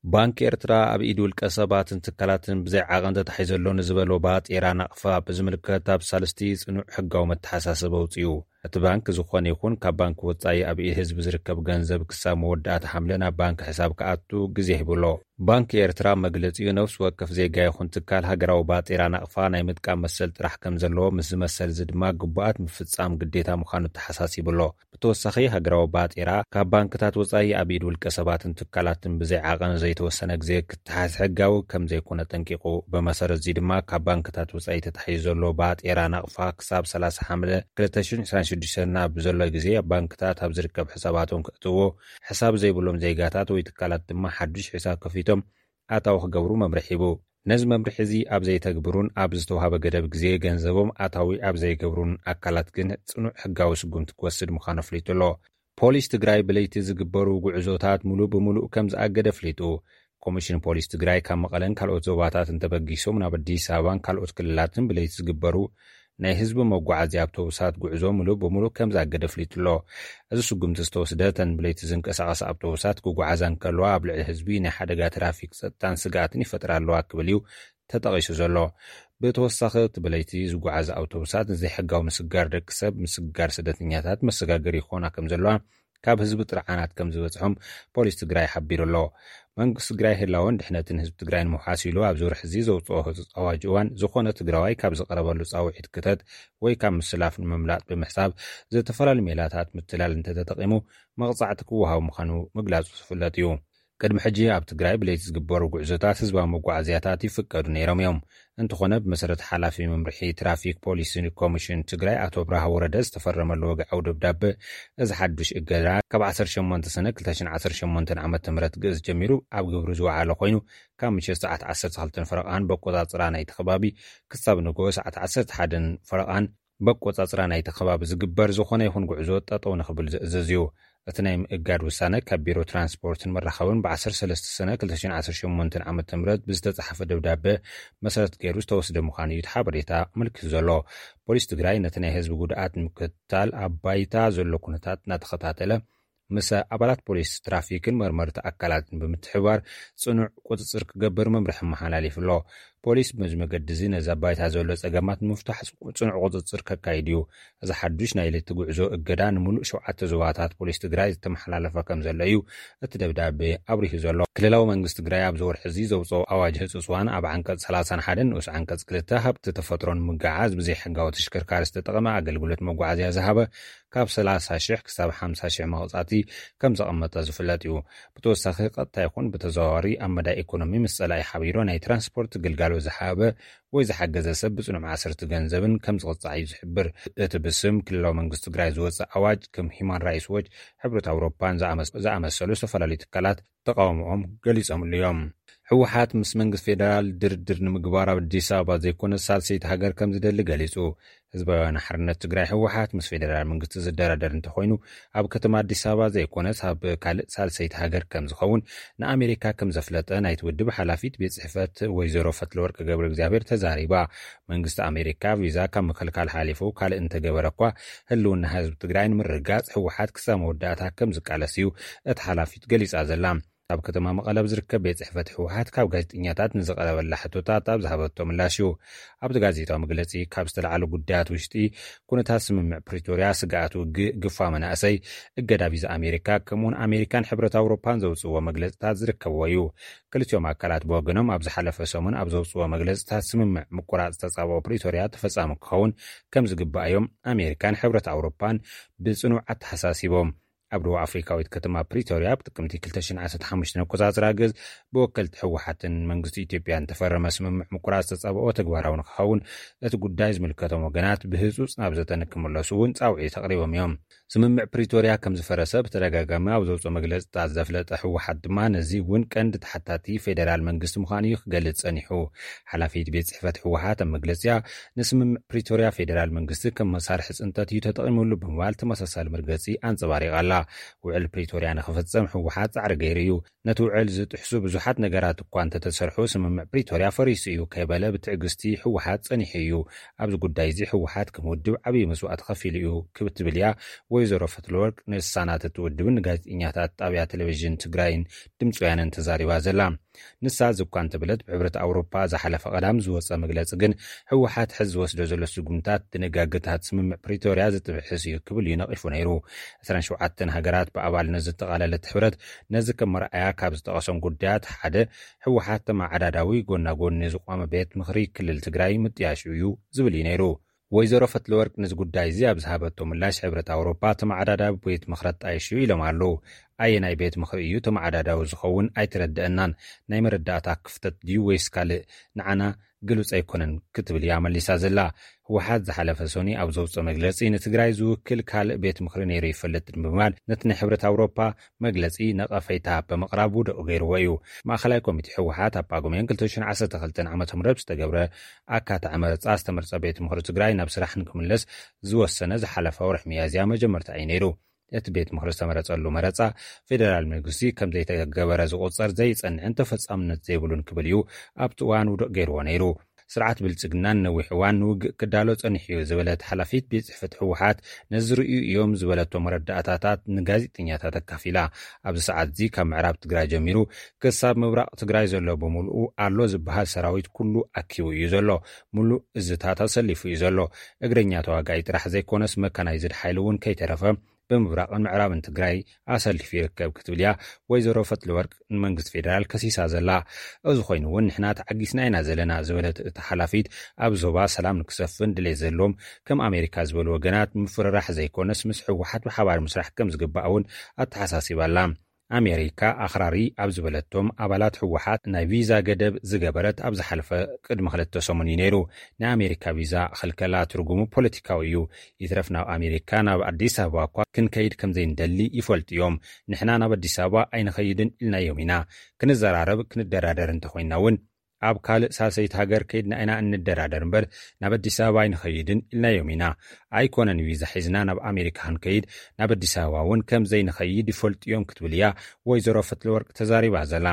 ባንኪ ኤርትራ ኣብ ኢድ ውልቀ ሰባትን ትካላትን ብዘይ ዓቐን ተታሒዙ ኣሎ ንዝበሎ ባጤራ ናቕፋ ብዝምልከት ኣብ ሳልስቲ ጽኑዕ ሕጋዊ መተሓሳሰቢ ኣውጺኡ። እቲ ባንክ ዝኾነ ይኹን ካብ ባንክ ወጻኢ ኣብ ኢድ ህዝቢ ዝርከብ ገንዘብ ክሳብ መወዳእታ ሓምለ ናብ ባንክ ሕሳብ ክኣቱ ግዜ ሂቡ ኣሎ። ባንኪ ኤርትራ መግለጺኡ ነፍሲ ወከፍ ዜጋ ይኹን ትካል ሃገራዊ ባጤራ ናቕፋ ናይ ምጥቃም መሰል ጥራሕ ከም ዘለዎ፣ ምስዚ መሰል እዚ ድማ ግቡኣት ምፍጻም ግዴታ ምዃኑ ተሓሳሲቡ ኣሎ። ብተወሳኺ ሃገራዊ ባጤራ ካብ ባንክታት ወጻኢ ኣብ ኢድ ውልቀ ሰባትን ትካላትን ብዘይ ዓቐን ዘይተወሰነ ግዜ ክተሓዝ ሕጋዊ ከም ዘይኮነ ጠንቂቑ። ብመሰረት እዚ ድማ ካብ ባንክታት ወጻኢ ተታሒዙ ዘሎ ባጤራ ናቕፋ ክሳብ ሰላሳ ሓምለ ክልተ ሽሕን ዕስራን ሽዱሽተን ኣብ ዘሎ ግዜ ኣብ ባንክታት ኣብ ዝርከብ ሕሳባቶም ከእትዎ፣ ሕሳብ ዘይብሎም ዜጋታት ወይ ትካላት ድማ ሓዱሽ ሕሳብ ከፊቶም ኣታዊ ክገብሩ መምርሒ ሂቡ። ነዚ መምርሒ እዚ ኣብ ዘይተግብሩን ኣብ ዝተዋህበ ገደብ ግዜ ገንዘቦም ኣታዊ ኣብ ዘይገብሩን ኣካላት ግን ጽኑዕ ሕጋዊ ስጉምቲ ክወስድ ምዃኑ ኣፍሊጡ ኣሎ። ፖሊስ ትግራይ ብለይቲ ዝግበሩ ጉዕዞታት ሙሉእ ብሙሉእ ከም ዝኣገደ ኣፍሊጡ። ኮሚሽን ፖሊስ ትግራይ ካብ መቐለን ካልኦት ዞባታትን ተበጊሶም ናብ ኣዲስ ኣበባን ካልኦት ክልላትን ብለይቲ ዝግበሩ ናይ ህዝቢ መጓዓዝያ ኣውቶቡሳት ጉዕዞ ሙሉእ ብሙሉእ ከም ዝኣገደ ኣፍሊጡ ኣሎ። እዚ ስጉምቲ ዝተወስደ፣ እተን ብለይቲ ዝንቀሳቐሳ ኣውቶቡሳት ክጓዓዛ እንከለዋ ኣብ ልዕሊ ህዝቢ ናይ ሓደጋ ትራፊክ ጸጥታን ስግኣትን ይፈጥራ ኣለዋ ክብል እዩ ተጠቒሱ ዘሎ። ብተወሳኺ እቲ ብለይቲ ዝጓዓዝ ኣውቶቡሳት ንዘይሕጋዊ ምስጋር ደቂ ሰብ፣ ምስጋር ስደተኛታት መሰጋገሪ ይኾና ከም ዘለዋ ካብ ህዝቢ ጥርዓናት ከም ዝበጽሖም ፖሊስ ትግራይ ሓቢሩ ኣሎ። መንግስቲ ትግራይ ህላወን ድሕነትን ህዝቢ ትግራይ ንምውሓስ ኢሉ ኣብዚ ወርሒ እዚ ዘውፅኦ ህፁፅ ኣዋጅ እዋን ዝኾነ ትግራዋይ ካብ ዝቐረበሉ ፃውዒት ክተት ወይ ካብ ምስላፍ ንምምላጥ ብምሕሳብ ዝተፈላለዩ ሜላታት ምትላል እንተተጠቂሙ መቕፃዕቲ ክወሃቡ ምዃኑ ምግላፁ ዝፍለጥ እዩ። ቅድሚ ሕጂ ኣብ ትግራይ ብለይቲ ዝግበሩ ጉዕዞታት ህዝባዊ መጓዓዝያታት ይፍቀዱ ነይሮም እዮም። እንተኾነ ብመሰረት ሓላፊ መምርሒ ትራፊክ ፖሊስ ኮሚሽን ትግራይ ኣቶ ብርሃ ወረደ ዝተፈረመሉ ወግዓዊ ደብዳበ እዚ ሓዱሽ እገዳ ካብ ዓሰርተ ሸሞንተ ሰነ ክልተ ሽሕን ዓሰርተ ሸሞንተን ዓመተ ምህረት ግእዝ ጀሚሩ ኣብ ግብሪ ዝወዓለ ኮይኑ ካብ ምሸት ሰዓት ዓሰርተ ክልተን ፈረቓን በቆፃፅራ ናይቲ ከባቢ ክሳብ ንግሆ ሰዓት ዓሰርተ ሓደን ፈረቓን በቆፃፅራ ናይቲ ከባቢ ዝግበር ዝኾነ ይኹን ጉዕዞ ጠጠው ንኽብል ዝእዝዝ እዩ። እቲ ናይ ምእጋድ ውሳነ ካብ ቢሮ ትራንስፖርትን መራኸብን ብ ዓሰርተ ሰለስተ ሰነ ክልተ ሽሕን ዓሰርተ ሸሞንተን ዓመተ ምህረት ብዝተፃሓፈ ደብዳበ መሰረት ገይሩ ዝተወስደ ምዃኑ እዩ እቲ ሓበሬታ ኣመልኪቱ ዘሎ። ፖሊስ ትግራይ ነቲ ናይ ህዝቢ ጉድኣት ንምክትታል ኣብ ባይታ ዘሎ ኩነታት እናተኸታተለ ምስ ኣባላት ፖሊስ ትራፊክን መርመርቲ ኣካላትን ብምትሕብባር ፅኑዕ ቁፅፅር ክገብር መምርሒ መሓላሊፉ ኣሎ። ፖሊስ በዚ መገዲ እዚ ነዚ ኣብ ባይታ ዘሎ ፀገማት ንምፍታሕ ፅኑዕ ቁፅፅር ከካይድ እዩ። እዚ ሓዱሽ ናይ ለይቲ ጉዕዞ እገዳ ንምሉእ ሸውዓተ ዞባታት ፖሊስ ትግራይ ዝተመሓላለፈ ከም ዘሎ እዩ እቲ ደብዳቤ ኣብሪሁ ዘሎ። ክልላዊ መንግስቲ ትግራይ ኣብዚ ወርሒ እዚ ዘውፅኦ ኣዋጅ ህፁፅ እዋን ኣብ ዓንቀፅ ሰላሳን ሓደን ንኡስ ዓንቀፅ ክልተ ሃብቲ ተፈጥሮን ምጉዕዓዝ ብዘይሕጋዊ ተሽከርካሪ ዝተጠቐመ ኣገልግሎት መጓዓዝያ ዝሃበ ካብ ሰላሳ ሽሕ ክሳብ ሓምሳ ሽሕ መቕፃዕቲ ከም ዘቐመጠ ዝፍለጥ እዩ። ብተወሳኺ ቀጥታ ይኹን ብተዘዋዋሪ ኣብ መዳይ ኢኮኖሚ ምስ ፀላኢ ሓቢሩ ናይ ትራንስፖርት ግልጋሎት ዝሃበ ወይ ዝሓገዘ ሰብ ብፅኑዕ ማእሰርቲ ገንዘብን ከም ዝቕፃዕ እዩ ዝሕብር። እቲ ብስም ክልላዊ መንግስቲ ትግራይ ዝወፅእ ኣዋጅ ከም ሂማን ራይትስ ዎች፣ ሕብረት ኣውሮፓን ዝኣመስ-፣ ዝኣመሰሉ ዝተፈላለዩ ትካላት ተቃውሞኦም ገሊጾምሉ እዮም። ህወሓት ምስ መንግስቲ ፌደራል ድርድር ንምግባር ኣብ ኣዲስ ኣበባ ዘይኮነ ሳልሰይቲ ሃገር ከም ዝደሊ ገሊጹ። ህዝባዊ ወያነ ሓርነት ትግራይ ህወሓት ምስ ፌደራል መንግስቲ ዝደራደር እንተኾይኑ ኣብ ከተማ ኣዲስ ኣበባ ዘይኮነስ ኣብ ካልእ ሳልሰይቲ ሃገር ከም ዝኸውን ንኣሜሪካ ከም ዘፍለጠ ናይቲ ውድብ ሓላፊት ቤት ጽሕፈት ወይዘሮ ፈትለወርቅ ገብረ እግዚኣብሔር ተዛሪባ። መንግስቲ ኣሜሪካ ቪዛ ካብ ምክልካል ሓሊፉ ካልእ እንተገበረ እኳ ህልውና ህዝቢ ትግራይ ንምርግጋጽ ህወሓት ክሳብ መወዳእታ ከም ዝቃለስ እዩ እቲ ሓላፊት ገሊጻ ዘላ። ኣብ ከተማ መቐለ ኣብ ዝርከብ ቤት ጽሕፈት ህወሓት ካብ ጋዜጠኛታት ንዝቐረበላ ሕቶታት ኣብ ዝሃበቶ ምላሽ እዩ። ኣብቲ ጋዜጣዊ መግለጺ ካብ ዝተለዓሉ ጉዳያት ውሽጢ ኩነታት ስምምዕ ፕሪቶርያ፣ ስግኣት ውግእ፣ ግፋ መናእሰይ፣ እገዳ ቪዛ ኣሜሪካ፣ ከምኡውን ኣሜሪካን ሕብረት ኣውሮፓን ዘውፅእዎ መግለጽታት ዝርከብዎ እዩ። ክልቲኦም ኣካላት ብወገኖም ኣብ ዝሓለፈ ሰሙን ኣብ ዘውፅእዎ መግለጽታት ስምምዕ ምቁራፅ ተጻብኦ ፕሪቶርያ ተፈጻሚ ክኸውን ከም ዝግባእ እዮም ኣሜሪካን ሕብረት ኣውሮፓን ብጽኑዕ ኣተሓሳሲቦም። ኣብ ደቡብ ኣፍሪካዊት ከተማ ፕሪቶርያ ኣብ ጥቅምቲ ክልተ ሽሕን ዓሰርተ ሓሙሽተን ኣቆጻጽራ ግዝ ብወከልቲ ህወሓትን መንግስቲ ኢትዮጵያን ተፈረመ ስምምዕ ምቁራጽ ተጻብኦ ተግባራዊ ንክኸውን እቲ ጉዳይ ዝምልከቶም ወገናት ብህጹጽ ናብ ዘተ ንክምለሱ እውን ጻውዒት ኣቕሪቦም እዮም። ስምምዕ ፕሪቶርያ ከም ዝፈረሰ ብተደጋጋሚ ኣብ ዘውፅኦ መግለጽታት ዘፍለጠ ህወሓት ድማ ነዚ እውን ቀንዲ ተሓታቲ ፌደራል መንግስቲ ምዃኑ እዩ ክገልጽ ጸኒሑ። ሓላፊት ቤት ጽሕፈት ህወሓት ኣብ መግለጺኣ ንስምምዕ ፕሪቶርያ ፌደራል መንግስቲ ከም መሳርሒ ጽንተት እዩ ተጠቒሙሉ ብምባል ተመሳሳሊ መርገጺ ኣንጸባሪቓ ኣላ። ውዕል ፕሪቶርያ ንኽፍጸም ህወሓት ጻዕሪ ገይሩ እዩ። ነቲ ውዕል ዝጥሕሱ ብዙሓት ነገራት እኳ እንተተሰርሑ ስምምዕ ፕሪቶርያ ፈሪሱ እዩ ከይበለ ብትዕግስቲ ህወሓት ጸኒሑ እዩ። ኣብዚ ጉዳይ እዚ ህወሓት ከም ውድብ ዓብዪ መስዋእቲ ከፊሉ እዩ ክብ ትብል እያ ወይዘሮ ፈትለወርቅ ንሳናት እቲ ውድብን ንጋዜጠኛታት ጣብያ ቴሌቪዥን ትግራይን ድምፂ ወያነን ተዛሪባ ዘላ። ንሳ እዚ እኳ እንተበለት ብሕብረት ኣውሮፓ ዝሓለፈ ቀዳም ዝወፀ መግለፂ ግን ህወሓት ሕዚ ዝወስዶ ዘሎ ስጉምታት ድንጋገታት ስምምዕ ፕሪቶርያ ዝጥብሕስ እዩ ክብል እዩ ነቒፉ ነይሩ። ዕስራን ሸውዓተን ሃገራት ብኣባልነት ዘጠቓለለት ሕብረት ነዚ ከም መርኣያ ካብ ዝጠቐሶም ጉዳያት ሓደ ህወሓት ተመዓዳዳዊ ጎና ጎኒ ዝቋመ ቤት ምኽሪ ክልል ትግራይ ምጥያሹ እዩ ዝብል እዩ ነይሩ። ወይዘሮ ፈትለወርቅ ነዚ ጉዳይ እዚ ኣብ ዝሃበቶ ምላሽ ሕብረት ኣውሮፓ ተመዓዳዳዊ ቤት ምኽሪ ኣጣይሹ ኢሎም ኣለዉ። ኣየናይ ቤት ምኽሪ እዩ ተመዓዳዳዊ ዝኸውን ኣይተረድአናን። ናይ መረዳእታ ክፍተት ድዩ ወይስ ካልእ? ንዓና ግሉጽ ኣይኮነን ክትብል እያ መሊሳ ዘላ። ህወሓት ዝሓለፈ ሰኒ ኣብ ዘውፅኦ መግለፂ ንትግራይ ዝውክል ካልእ ቤት ምኽሪ ነይሩ ይፈልጥን ብምባል ነቲ ናይ ሕብረት ኣውሮፓ መግለጺ ነቐፈይታ ብምቕራብ ውዱቕ ገይርዎ እዩ። ማእኸላይ ኮሚቴ ህወሓት ኣብ ጳጉሜን ክልተ ሽሕን ዓሰርተ ክልተን ዓመተ ምህረት ዝተገብረ ኣካታዒ መረፃ ዝተመርፀ ቤት ምኽሪ ትግራይ ናብ ስራሕ ንክምለስ ዝወሰነ ዝሓለፈ ወርሒ ሚያዝያ መጀመርታ እዩ ነይሩ። እቲ ቤት ምኽሪ ዝተመረፀሉ መረፃ ፌደራል መንግስቲ ከም ዘይተገበረ ዝቑፀር ዘይፀንዕን ተፈፃምነት ዘይብሉን ክብል እዩ ኣብቲ እዋን ውዱቕ ገይርዎ ነይሩ። ስርዓት ብልጽግና ንነዊሕ እዋን ንውግእ ክዳሎ ጸኒሑ እዩ ዝበለት ሓላፊት ቤት ጽሕፈት ህወሓት፣ ነዚ ርእዩ እዮም ዝበለቶ መረዳእታታት ንጋዜጠኛታት ኣካፊላ። ኣብዚ ሰዓት እዚ ካብ ምዕራብ ትግራይ ጀሚሩ ክሳብ ምብራቕ ትግራይ ዘሎ ብምሉኡ ኣሎ ዝበሃል ሰራዊት ኩሉ ኣኪቡ እዩ ዘሎ። ሙሉእ እዝታት ኣሰሊፉ እዩ ዘሎ። እግረኛ ተዋጋኢ ጥራሕ ዘይኮነስ መካናይዝድ ሓይሊ እውን ከይተረፈ ብምብራቕን ምዕራብን ትግራይ ኣሰሊፉ ይርከብ ክትብል እያ ወይዘሮ ፈትለወርቅ ንመንግስቲ ፌደራል ከሲሳ ዘላ። እዚ ኮይኑ እውን ንሕና ተዓጊስና ኢና ዘለና ዝበለት እታ ሓላፊት፣ ኣብ ዞባ ሰላም ንክሰፍን ድሌት ዘለዎም ከም ኣሜሪካ ዝበሉ ወገናት ምፍርራሕ ዘይኮነስ ምስ ህወሓት ብሓባር ምስራሕ ከም ዝግባእ እውን ኣተሓሳሲባ ኣላ። ኣሜሪካ ኣኽራሪ ኣብ ዝበለቶም ኣባላት ህወሓት ናይ ቪዛ ገደብ ዝገበረት ኣብ ዝሓለፈ ቅድሚ ክልተ ሰሙን እዩ ነይሩ። ናይ ኣሜሪካ ቪዛ ክልከላ ትርጉሙ ፖለቲካዊ እዩ። ይትረፍ ናብ ኣሜሪካ ናብ ኣዲስ ኣበባ እኳ ክንከይድ ከም ዘይንደሊ ይፈልጡ እዮም። ንሕና ናብ ኣዲስ ኣበባ ኣይንኸይድን ኢልናዮም ኢና። ክንዘራረብ ክንደራደር እንተኾይንና እውን ኣብ ካልእ ሳልሰይቲ ሃገር ከይድና ኢና እንደራደር እምበር ናብ ኣዲስ ኣበባ ኣይንኸይድን ኢልናዮም ኢና። ኣይኮነን ቪዛ ሒዝና ናብ ኣሜሪካ ክንከይድ፣ ናብ ኣዲስ ኣበባ እውን ከም ዘይንኸይድ ይፈልጡ እዮም ክትብል እያ ወይዘሮ ፈትለወርቅ ተዛሪባ ዘላ።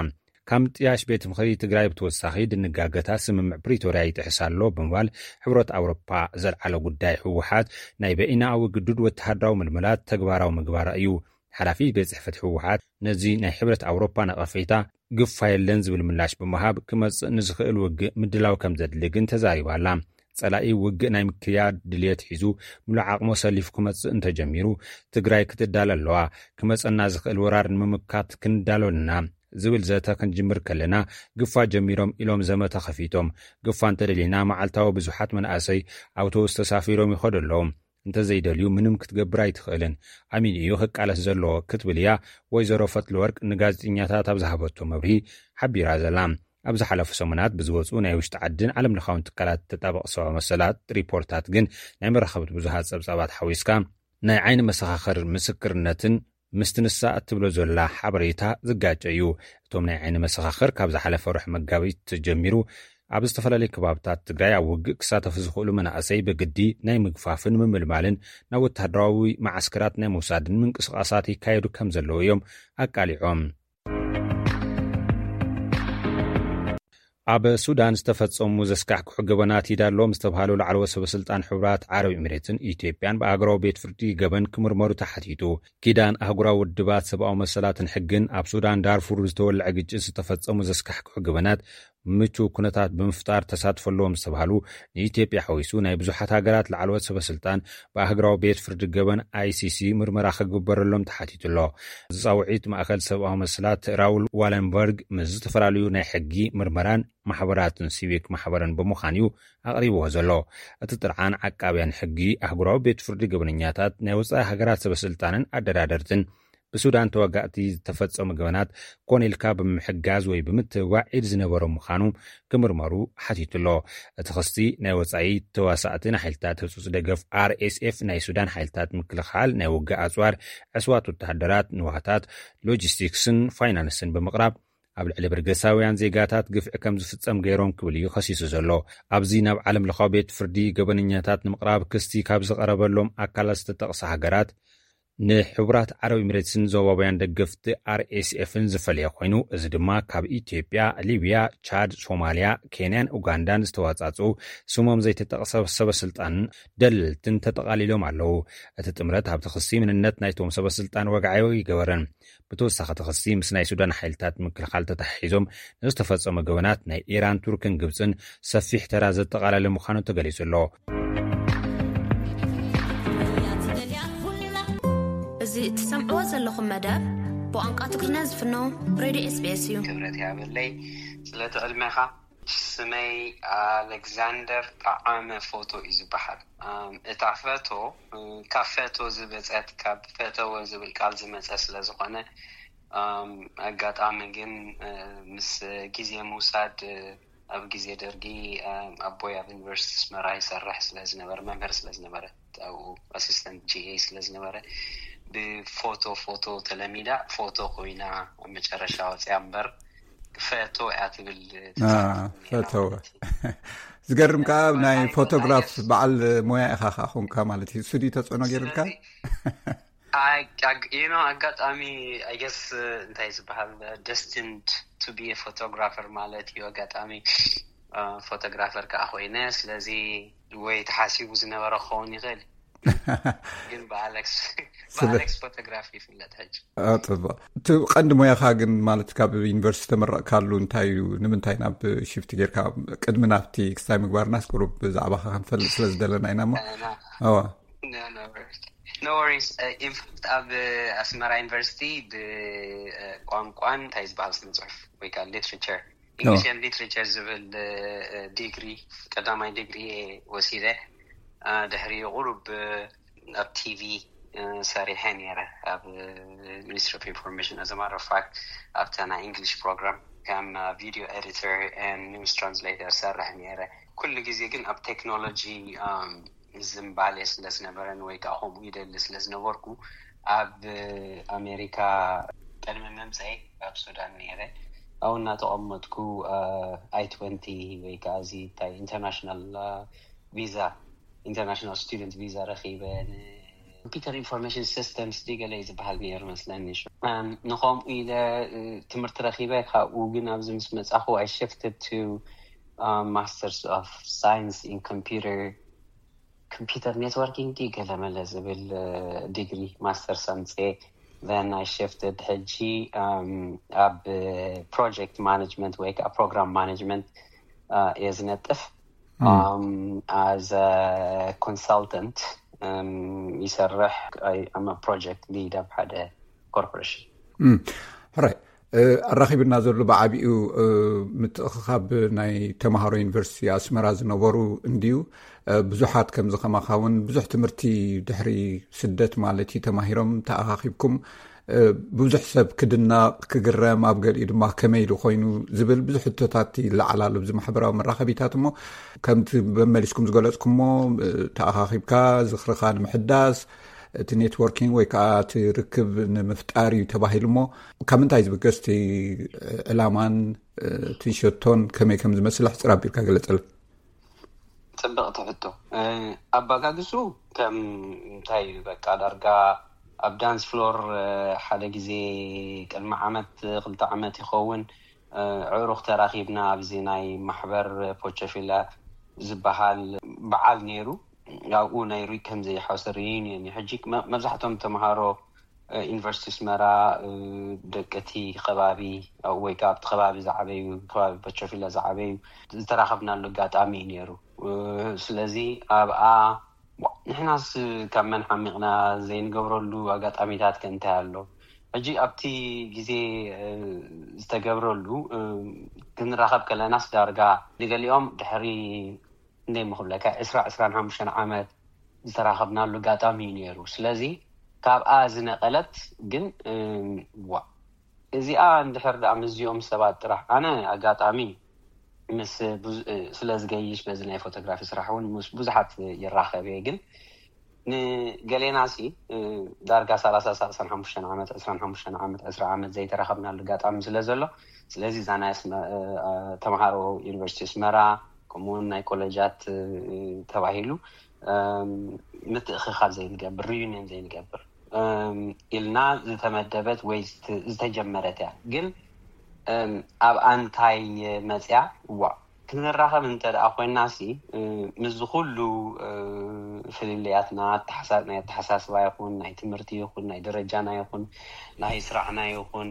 ካብ ምጥያሽ ቤት ምኽሪ ትግራይ ብተወሳኺ ድንጋገታት ስምምዕ ፕሪቶርያ ይጥሕስ ኣሎ ብምባል ሕብረት ኣውሮፓ ዘልዓሎ ጉዳይ ህወሓት ናይ በይናዊ ግዱድ ወተሃደራዊ ምልመላት ተግባራዊ ምግባራ እዩ። ሓላፊ ቤት ጽሕፈት ህወሓት ነዚ ናይ ሕብረት ኣውሮፓ ነቐፌታ ግፋ የለን ዝብል ምላሽ ብምሃብ ክመጽእ ንዝኽእል ውግእ ምድላው ከም ዘድሊ ግን ተዛሪባ ኣላ። ጸላኢ ውግእ ናይ ምክያድ ድልየት ሒዙ ምሉእ ዓቕሙ ኣሰሊፉ ክመጽእ እንተጀሚሩ ትግራይ ክትዳለ ኣለዋ። ክመጸና ዝኽእል ወራር ንምምካት ክንዳሎ ኣለና ዝብል ዘተ ክንጅምር ከለና ግፋ ጀሚሮም ኢሎም ዘመተ ከፊቶም። ግፋ እንተደሊና መዓልታዊ ብዙሓት መናእሰይ ኣውቶቡስ ተሳፊሮም ይኸዱ ኣለዉ። እንተዘይደልዩ ምንም ክትገብር ኣይትኽእልን። ኣሚኑ እዩ ክቃለስ ዘለዎ ክትብል እያ ወይዘሮ ፈትለወርቅ ንጋዜጠኛታት ኣብ ዝሃበቶ መብርሂ ሓቢራ ዘላ። ኣብ ዝሓለፉ ሰሙናት ብዝወፁ ናይ ውሽጢ ዓድን ዓለም ለኻውን ትካላት ተጣበቕ ሰብኣዊ መሰላት ሪፖርታት ግን ናይ መራኸብቲ ብዙሃት ፀብፃባት ሓዊስካ ናይ ዓይኒ መሰኻኽር ምስክርነትን ምስቲ ንሳ እትብሎ ዘላ ሓበሬታ ዝጋጨ እዩ። እቶም ናይ ዓይኒ መሰኻኽር ካብ ዝሓለፈ ወርሒ መጋቢት ጀሚሩ ኣብ ዝተፈላለዩ ከባብታት ትግራይ ኣብ ውግእ ክሳተፉ ዝኽእሉ መናእሰይ ብግዲ ናይ ምግፋፍን ምምልማልን ናብ ወተሃደራዊ መዓስከራት ናይ ምውሳድን ምንቅስቓሳት ይካየዱ ከም ዘለዉ እዮም ኣቃሊዖም። ኣብ ሱዳን ዝተፈጸሙ ዘስካሕክሑ ገበናት ይዳሎም ዝተባሃሉ ላዕለዎት ሰበ ስልጣን ሕቡራት ዓረብ ኤሚሬትን ኢትዮጵያን ብኣህጉራዊ ቤት ፍርዲ ገበን ክምርመሩ ተሓቲቱ። ኪዳን ኣህጉራዊ ውድባት ሰብኣዊ መሰላትን ሕግን ኣብ ሱዳን ዳርፉር ዝተወልዐ ግጭት ዝተፈጸሙ ዘስካሕክሑ ገበናት ምቹው ኩነታት ብምፍጣር ተሳትፎ ኣለዎም ዝተባሃሉ ንኢትዮጵያ ሓዊሱ ናይ ብዙሓት ሃገራት ላዕለዎት ሰበ ስልጣን ብኣህጉራዊ ቤት ፍርዲ ገበን ኣይሲሲ ምርመራ ክግበረሎም ተሓቲቱ ኣሎ። ዝጻውዒት ማእከል ሰብኣዊ መሰላት ራውል ዋለንበርግ ምስ ዝተፈላለዩ ናይ ሕጊ ምርመራን ማሕበራትን ሲቪክ ማሕበርን ብምዃን እዩ ኣቕሪብዎ ዘሎ። እቲ ጥርዓን ዓቃብያን ሕጊ ኣህጉራዊ ቤት ፍርዲ ገበነኛታት ናይ ወጻኢ ሃገራት ሰበ ስልጣንን ኣደራደርትን ብሱዳን ተዋጋእቲ ዝተፈጸሙ ገበናት ኮነ ኢልካ ብምሕጋዝ ወይ ብምትብባዕ ኢድ ዝነበሮም ምዃኑ ክምርመሩ ሓቲቱ ኣሎ። እቲ ክስቲ ናይ ወጻኢ ተዋሳእቲ ንሓይልታት ህጹጽ ደገፍ ኣር ኤስ ኤፍ ናይ ሱዳን ሓይልታት ምክልኻል ናይ ውግእ ኣጽዋር፣ ዕስዋት ወተሃደራት፣ ንዋታት፣ ሎጂስቲክስን ፋይናንስን ብምቕራብ ኣብ ልዕሊ በርገሳውያን ዜጋታት ግፍዒ ከም ዝፍጸም ገይሮም ክብል እዩ ከሲሱ ዘሎ። ኣብዚ ናብ ዓለም ለኻዊ ቤት ፍርዲ ገበነኛታት ንምቕራብ ክስቲ ካብ ዝቐረበሎም ኣካላት ዝተጠቕሳ ሃገራት ንሕቡራት ዓረብ ኤሚሬትስን ዞባውያን ደገፍቲ ኣር ኤስ ኤፍን ዝፈለየ ኮይኑ፣ እዚ ድማ ካብ ኢትዮጵያ፣ ሊብያ፣ ቻድ፣ ሶማልያ፣ ኬንያን ኡጋንዳን ዝተዋጻጽኡ ስሞም ዘይተጠቕሰ ሰበ ስልጣንን ደለልትን ተጠቓሊሎም ኣለዉ። እቲ ጥምረት ኣብቲ ክሲ ምንነት ናይቶም ሰበ ስልጣን ወግዓዊ ኣይገበረን። ብተወሳኺ እቲ ክሲ ምስ ናይ ሱዳን ሓይልታት ምክልኻል ተተሓሒዞም ንዝተፈጸሙ ገበናት ናይ ኢራን፣ ቱርክን ግብጽን ሰፊሕ ተራ ዘጠቓለለ ምዃኑ ተገሊጹ ኣሎ። እዚ እትሰምዕዎ ዘለኹም መደብ ብቋንቋ ትግርኛ ዝፍኖ ሬድዮ ኤስቢኤስ እዩ። ክብረት ያበለይ ስለቲ ዕድሜኻ። ስመይ ኣሌክዛንደር ጠዓመ ፎቶ እዩ ዝበሃል። እታ ፈቶ ካብ ፈቶ ዝበፀት ካብ ፈተወ ዝብል ቃል ዝመፀ ስለ ዝኾነ ኣጋጣሚ ግን ምስ ግዜ ምውሳድ ኣብ ግዜ ደርጊ ኣቦይ ኣብ ዩኒቨርሲቲ ኣስመራ ይሰርሕ ስለ ዝነበረ መምህር ስለ ዝነበረ ኣብኡ ኣሲስተንት ጂ ኤ ስለ ዝነበረ ብፎቶ ፎቶ ተለሚዳ ፎቶ ኮይና ኣብ መጨረሻ ወፅያ እምበር ፈቶ እያ ትብል ፈተወ ዝገርም ከዓ ናይ ፎቶግራፍ በዓል ሞያ ኢኻ ከዓ ኮንካ ማለት እዩ ስቱዲ ተፅዕኖ ገይርልካ you know ኣጋጣሚ I guess እንታይ ዝበሃል destined to be a photographer ማለት እዩ ኣጋጣሚ ፎቶግራፈር ከዓ ኮይነ። ስለዚ ወይ ተሓሲቡ ዝነበረ ክኸውን ይኽእል፣ ግን ብኣሌክስ ብኣሌክስ ፎቶግራፊ ይፍለጥ ሕጂ። ፅቡቅ። እቲ ቀንዲ ሞያኻ ግን ማለት ካብ ዩኒቨርሲቲ ተመረቕካሉ እንታይ እዩ? ንምንታይ ናብ ሽፍቲ ጌርካ? ቅድሚ ናብቲ ክስታይ ምግባርናስ ቁሩብ ብዛዕባኻ ክንፈልጥ ስለ ዝደለና ኢና እሞ። No worries. ኢንፋክት ኣብ ኣስመራ ዩኒቨርሲቲ ብቋንቋን እንታይ ዝበሃል ስነ ፅሑፍ ወይ ከዓ ሊትሬቸር፣ ኢንግሊሽ ኤንድ ሊትሬቸር ዝብል ዲግሪ፣ ቀዳማይ ዲግሪ ወሲደ። ድሕሪ ቁሩብ ኣብ ቲቪ ሰሪሐ ነይረ፣ ኣብ ሚኒስትሪ ኦፍ ኢንፎርሜሽን። ኣዘ ማተር ኦፍ ፋክት ኣብታ ናይ ኢንግሊሽ ፕሮግራም ከም ቪዲዮ ኤዲተር ኒውስ ትራንስሌተር ሰርሕ ነይረ። ኩሉ ግዜ ግን ኣብ ቴክኖሎጂ ዝንባሌ ስለ ዝነበረን ወይ ከዓ ከምኡ ይደሊ ስለ ዝነበርኩ፣ ኣብ ኣሜሪካ ቅድሚ ምምፀይ ኣብ ሱዳን ነይረ። ኣብኡ እናተቐመጥኩ ኣይ ትወንቲ ወይ ከዓ እዚ እንታይ ኢንተርናሽናል ቪዛ፣ ኢንተርናሽናል ስቱደንት ቪዛ ረኪበ። ኮምፒተር ኢንፎርሜሽን ሲስተምስ ዲ ገለ እዩ ዝበሃል ነይሩ መስለኒ። ንኸምኡ ኢለ ትምህርቲ ረኪበ። ካብኡ ግን ኣብዚ ምስ መፃኹ I shifted to masters of science in computer computer networking ዲ ገለመለ ዝብል ዲግሪ ማስተርስ ኣምፅኤ። Then I shifted ሕጂ ኣብ ፕሮጀክት ማኔጅመንት ወይ ከዓ ፕሮግራም ማኔጅመንት እየ ዝነጥፍ። As a consultant ይሰርሕ። I'm a project lead ኣብ ሓደ ኮርፖሬሽን። ሕራይ ኣራኺብና ዘሎ ብዓቢኡ ምትእኽኻብ ናይ ተምሃሮ ዩኒቨርሲቲ ኣስመራ ዝነበሩ እንድዩ። ብዙሓት ከምዚ ከማኻ እውን ብዙሕ ትምህርቲ ድሕሪ ስደት ማለት እዩ ተማሂሮም ተኣኻኺብኩም። ብዙሕ ሰብ ክድነቕ ክግረም፣ ኣብ ገሊኡ ድማ ከመይ ኢሉ ኮይኑ ዝብል ብዙሕ ሕቶታት ይለዓል ኣሎ ኣብዚ ማሕበራዊ መራኸቢታት። እሞ ከምቲ መመሊስኩም ዝገለጽኩሞ ተኣኻኺብካ ዝኽርኻ ንምሕዳስ እቲ ኔትወርኪንግ ወይ ከዓ እቲ ርክብ ንምፍጣር እዩ ተባሂሉ። እሞ ካብ ምንታይ ዝብገስ እቲ ዕላማን እቲ ሸቶን ከመይ ከም ዝመስል ሕፅር ኣቢልካ ገለፀልና። ፅብቕቲ ሕቶ። ኣባጋግሱ ከም እንታይ በቃ ዳርጋ ኣብ ዳንስ ፍሎር ሓደ ግዜ ቅድሚ ዓመት ክልተ ዓመት ይኸውን ዕሩኽ ተራኺብና ኣብዚ ናይ ማሕበር ፖቸፊላ ዝበሃል በዓል ነይሩ። ኣብኡ ናይ ሪ ከም ዘይሓውሰ ሪዩኒየን እዩ። ሕጂ መብዛሕቶም ተምሃሮ ዩኒቨርሲቲ ኣስመራ ደቂ እቲ ከባቢ ወይ ከዓ ኣብቲ ከባቢ ዝዓበዩ ከባቢ ፖቸፊላ ዝዓበዩ ዝተራኸብናሉ ኣጋጣሚ እዩ ነይሩ። ስለዚ ኣብኣ ንሕናስ ካብ መን ሓሚቕና ዘይንገብረሉ ኣጋጣሚታት ከ እንታይ ኣሎ? ሕጂ ኣብቲ ግዜ ዝተገብረሉ ክንራኸብ ከለናስ ዳርጋ ንገሊኦም ድሕሪ እንደይ ምክብለካ ዕስራ ዕስራን ሓሙሽተን ዓመት ዝተራኸብናሉ ኣጋጣሚ እዩ ነይሩ። ስለዚ ካብኣ ዝነቐለት ግን ዋ እዚኣ እንድሕር ደኣ ምስዚኦም ሰባት ጥራሕ ኣነ ኣጋጣሚ ምስ ስለ ዝገይሽ በዚ ናይ ፎቶግራፊ ስራሕ እውን ምስ ብዙሓት ይራኸብ እየ። ግን ንገሌና ሲ ዳርጋ ሰላሳ ሰላሳን ሓሙሽተን ዓመት ዕስራን ሓሙሽተን ዓመት ዕስራ ዓመት ዘይተራኸብናሉ ኣጋጣሚ ስለ ዘሎ ስለዚ እዛ ናይ ተምሃሮ ዩኒቨርሲቲ ኣስመራ ከምኡውን ናይ ኮሌጃት ተባሂሉ ምትእኽኻብ ዘይንገብር ሪዩኒየን ዘይንገብር ኢልና ዝተመደበት ወይ ዝተጀመረት እያ። ግን ኣብ ኣንታይ መፅያ እዋ ክንራኸብ እንተ ደኣ ኮይና ሲ ምስዚ ኩሉ ፍልልያትና ናይ ኣተሓሳስባ ይኹን ናይ ትምህርቲ ይኹን ናይ ደረጃና ይኹን ናይ ስራሕና ይኹን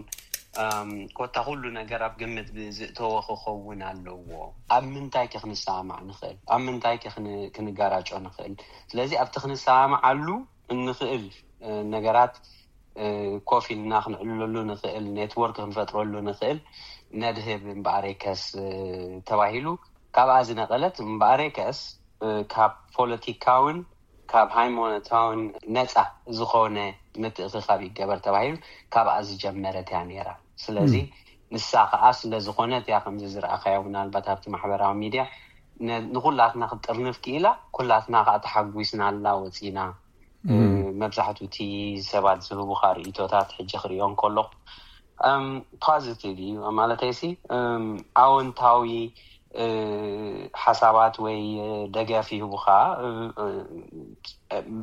ኮታ ኩሉ ነገር ኣብ ግምት ብዝእተወ ክኸውን ኣለዎ። ኣብ ምንታይ ከ ክንሰማማዕ ንኽእል? ኣብ ምንታይ ከ ክንጋራጮ ንኽእል? ስለዚ ኣብቲ ክንሰማማዓሉ እንኽእል ነገራት ኮፍ ኢልና ክንዕልለሉ ንኽእል ኔትወርክ ክንፈጥረሉ ንኽእል ነድህብ እምበኣር የከስ ተባሂሉ ካብኣ ዝነቐለት እምበኣር የከስ ካብ ፖለቲካውን ካብ ሃይማኖታውን ነፃ ዝኾነ ምትእኽኻብ ይገበር ተባሂሉ ካብኣ ዝጀመረት እያ ነይራ። ስለዚ ንሳ ከዓ ስለ ዝኾነት እያ ከምዚ ዝረኣኻዮ ምናልባት ኣብቲ ማሕበራዊ ሚድያ ንኩላትና ክትጥርንፍ ክኢላ ኩላትና ከዓ ተሓጒስናላ ወፂና። መብዛሕትኡ እቲ ሰባት ዝህቡካ ርእቶታት ሕጂ ክርእዮ እንከለኹ ፖዚቲቭ እዩ ማለተይሲ ኣወንታዊ ሓሳባት ወይ ደገፍ ይህቡካ።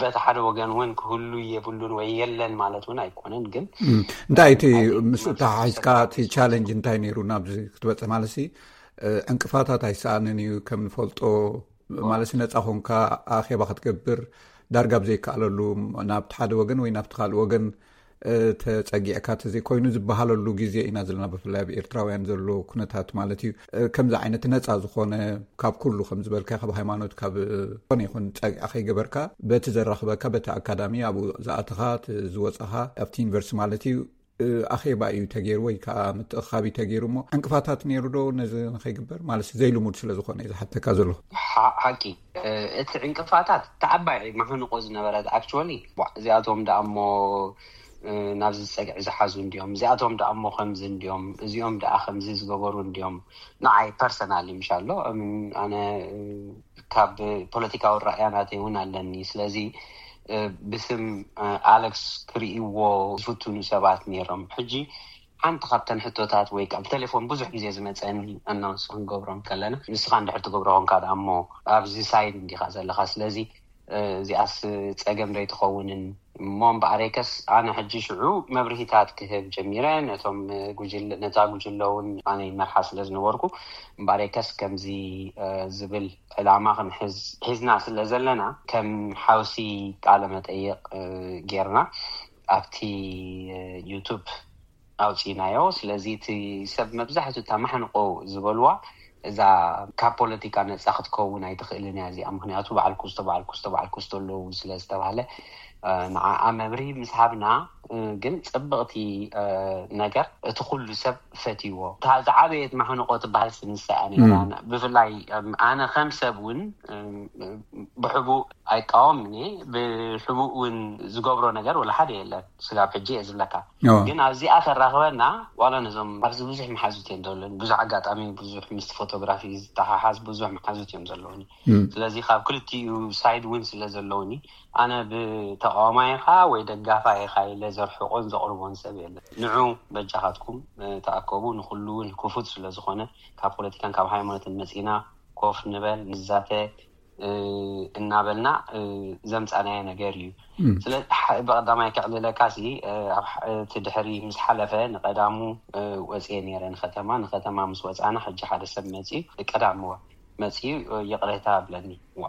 በቲ ሓደ ወገን እውን ክህሉ የብሉን ወይ የለን ማለት እውን ኣይኮነን። ግን እንታይ እቲ ምስ ተሓሒዝካ እቲ ቻለንጅ እንታይ ነይሩ ናብዚ ክትበፅሕ ማለት ሲ ዕንቅፋታት ኣይሰኣንን እዩ። ከም ንፈልጦ ማለት ነፃ ኮንካ ኣኼባ ክትገብር ዳርጋ ብዘይከኣለሉ፣ ናብቲ ሓደ ወገን ወይ ናብቲ ካልእ ወገን ተፀጊዕካ ተዘይኮይኑ ዝበሃለሉ ግዜ ኢና ዘለና። ብፍላይ ኣብ ኤርትራውያን ዘሎ ኩነታት ማለት እዩ። ከምዚ ዓይነት ነፃ ዝኾነ፣ ካብ ኩሉ ከም ዝበልካ፣ ካብ ሃይማኖት፣ ካብ ዝኾነ ይኹን ጸግዒ ከይገበርካ፣ በቲ ዘራኽበካ፣ በቲ ኣካዳሚ ኣብኡ ዝኣተኻ፣ ዝወጻኻ ኣብቲ ዩኒቨርሲቲ ማለት እዩ፣ ኣኼባ እዩ ተገይሩ ወይ ከዓ ምትእኻብ እዩ ተገይሩ። እሞ ዕንቅፋታት ነይሩ ዶ ነዚ ንኸይግበር? ማለት ዘይልሙድ ስለ ዝኾነ እዩ ዝሓተካ ዘለኹ። ሓቂ፣ እቲ ዕንቅፋታት ተዓባይ ማሕንቆ ዝነበረት፣ actually፣ እዚኣቶም ደኣ እሞ ናብዚ ጸግዒ ዝሓዙ እንዲዮም፣ እዚኣቶም ደኣ እሞ ከምዚ እንዲዮም፣ እዚኦም ደኣ ከምዚ ዝገበሩ እንዲዮም። ንዓይ ፐርሰናሊ ምሻሎ፣ ኣነ ካብ ፖለቲካዊ ራእያ ናተይ እውን ኣለኒ። ስለዚ ብስም ኣለክስ ክርእይዎ ዝፍትኑ ሰባት ነይሮም። ሕጂ ሓንቲ ካብተን ሕቶታት ወይ ከዓ ብቴሌፎን ብዙሕ ግዜ ዝመፀኒ፣ ኣናውንስ ክንገብሮም ከለና፣ ንስኻ እንድሕር ትገብሮ ኮንካ ደኣ እሞ ኣብዚ ሳይድ እንዲኻ ዘለኻ፣ ስለዚ እዚኣስ ፀገም ዶ ኣይትኸውንን? እሞ እምበኣረይከስ ኣነ ሕጂ ሽዑ መብርሂታት ክህብ ጀሚረ። ነቶም ነታ ጉጅለ እውን ኣነ ይመርሓ ስለ ዝነበርኩ፣ እምበኣረይከስ ከምዚ ዝብል ዕላማ ክንሕዝ ሒዝና ስለ ዘለና፣ ከም ሓውሲ ቃለ መጠይቕ ጌርና ኣብቲ ዩቱብ ኣውፂናዮ። ስለዚ እቲ ሰብ መብዛሕትኡ እታ ማሕንቆ ዝበልዋ እዛ ካብ ፖለቲካ ነፃ ክትከውን ኣይትኽእልን እያ እዚኣ፣ ምክንያቱ በዓል ኩስቶ፣ በዓል ኩስቶ፣ በዓል ኩስቶ ኣለዉ ስለ ዝተባሃለ፣ ንዓኣ መብርሂ ምስ ሃብና፣ ግን ፅብቕቲ ነገር እቲ ኩሉ ሰብ ፈትይዎ። እታ ዝዓበየት ማሕንቆ ትበሃል ስንሳ እያ ነይራ። ብፍላይ ኣነ ከም ሰብ እውን ብሕቡእ ኣይቃወምን እየ፣ ብሕቡእ እውን ዝገብሮ ነገር ወላ ሓደ የለን። ስጋብ ሕጂ እየ ዝብለካ። ግን ኣብዚኣ ተራኽበና፣ ዋላ ነዞም ኣብዚ ብዙሕ መሓዙት እዮም ዘለኒ። ብዙሕ ኣጋጣሚ፣ ብዙሕ ምስቲ ፎቶግራፊ ዝተሓሓዝ ብዙሕ መሓዙት እዮም ዘለውኒ። ስለዚ ካብ ክልቲኡ ሳይድ እውን ስለ ዘለውኒ፣ ኣነ ብተቃዋማይ ኢኻ ወይ ደጋፋይ ኢኻ ኢለ ዘርሕቆን ዘቕርቦን ሰብ የለን። ንዑ በጃኻትኩም ተኣከቡ፣ ንኩሉ እውን ክፉት ስለ ዝኾነ፣ ካብ ፖለቲካን ካብ ሃይማኖትን መጺና ኮፍ ንበል፣ ንዛተ እናበልና ዘምፃናዮ ነገር እዩ። ስለዚ ብቀዳማይ ከዕልለካ ሲ፣ እቲ ድሕሪ ምስ ሓለፈ ንቀዳሙ ወፅየ ነይረ ንከተማ። ንከተማ ምስ ወፃና፣ ሕጂ ሓደ ሰብ መፅዩ፣ ቀዳምዋ መፅዩ ይቕሬታ ብለኒ። ዋ፣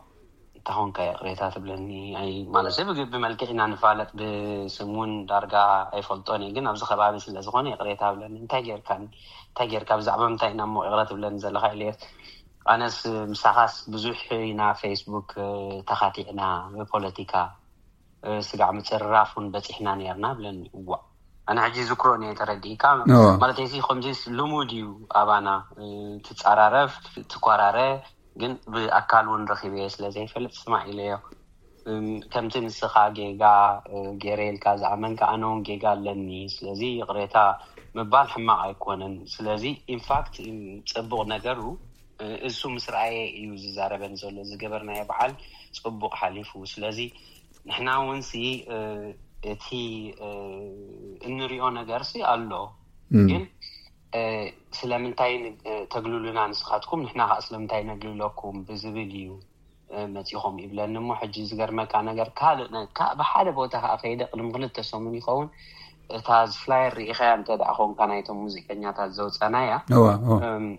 እንታይ ኾንካ ይቕሬታ ትብለኒ? ኣይ፣ ማለት ሰብ ብመልክዕ ኢና ንፋለጥ፣ ብስም እውን ዳርጋ ኣይፈልጦን እየ፣ ግን ኣብዚ ከባቢ ስለ ዝኾነ ይቕሬታ ብለኒ። እንታይ ጌርካኒ? እንታይ ጌርካ? ብዛዕባ ምንታይ ኢና እሞ ይቕረ ትብለኒ ዘለኻ? ኢለዮ። ኣነስ ምሳኻስ ብዙሕ ኢና ፌስቡክ ተኻቲዕና፣ ብፖለቲካ ስጋዕ ምፅርራፍ እውን በፂሕና ነርና ብለኒ። እዋ፣ ኣነ ሕጂ ዝክሮን እየ፣ ተረዲእካ ማለት ሲ፣ ከምዚስ ልሙድ እዩ ኣባና። ትፃራረፍ፣ ትኮራረ፣ ግን ብኣካል እውን ረኪበ ስለ ዘይፈልጥ ስማዕ ኢለዮ። ከምቲ ንስኻ ጌጋ ገይረ ኢልካ ዝኣመንካ፣ ኣነ እውን ጌጋ ኣለኒ። ስለዚ ይቕሬታ ምባል ሕማቕ ኣይኮነን። ስለዚ ኢንፋክት፣ ፅቡቕ ነገሩ እሱ ምስ ረኣየ እዩ ዝዛረበን ዘሎ። ዝገበርናዮ በዓል ፅቡቕ ሓሊፉ። ስለዚ ንሕና እውን ሲ እቲ እንሪኦ ነገር ሲ ኣሎ፣ ግን ስለምንታይ ተግልሉና ንስኻትኩም፣ ንሕና ከዓ ስለምንታይ ነግልለኩም ብዝብል እዩ መፂኹም ይብለኒ። እሞ ሕጂ ዝገርመካ ነገር፣ ካልእ ብሓደ ቦታ ከዓ ከይደ፣ ቅድሚ ክልተ ሰሙን ይኸውን፣ እታ ፍላየር ርኢኻያ እንተ ደኣ ኾንካ፣ ናይቶም ሙዚቀኛታት ዘውፀናያ፣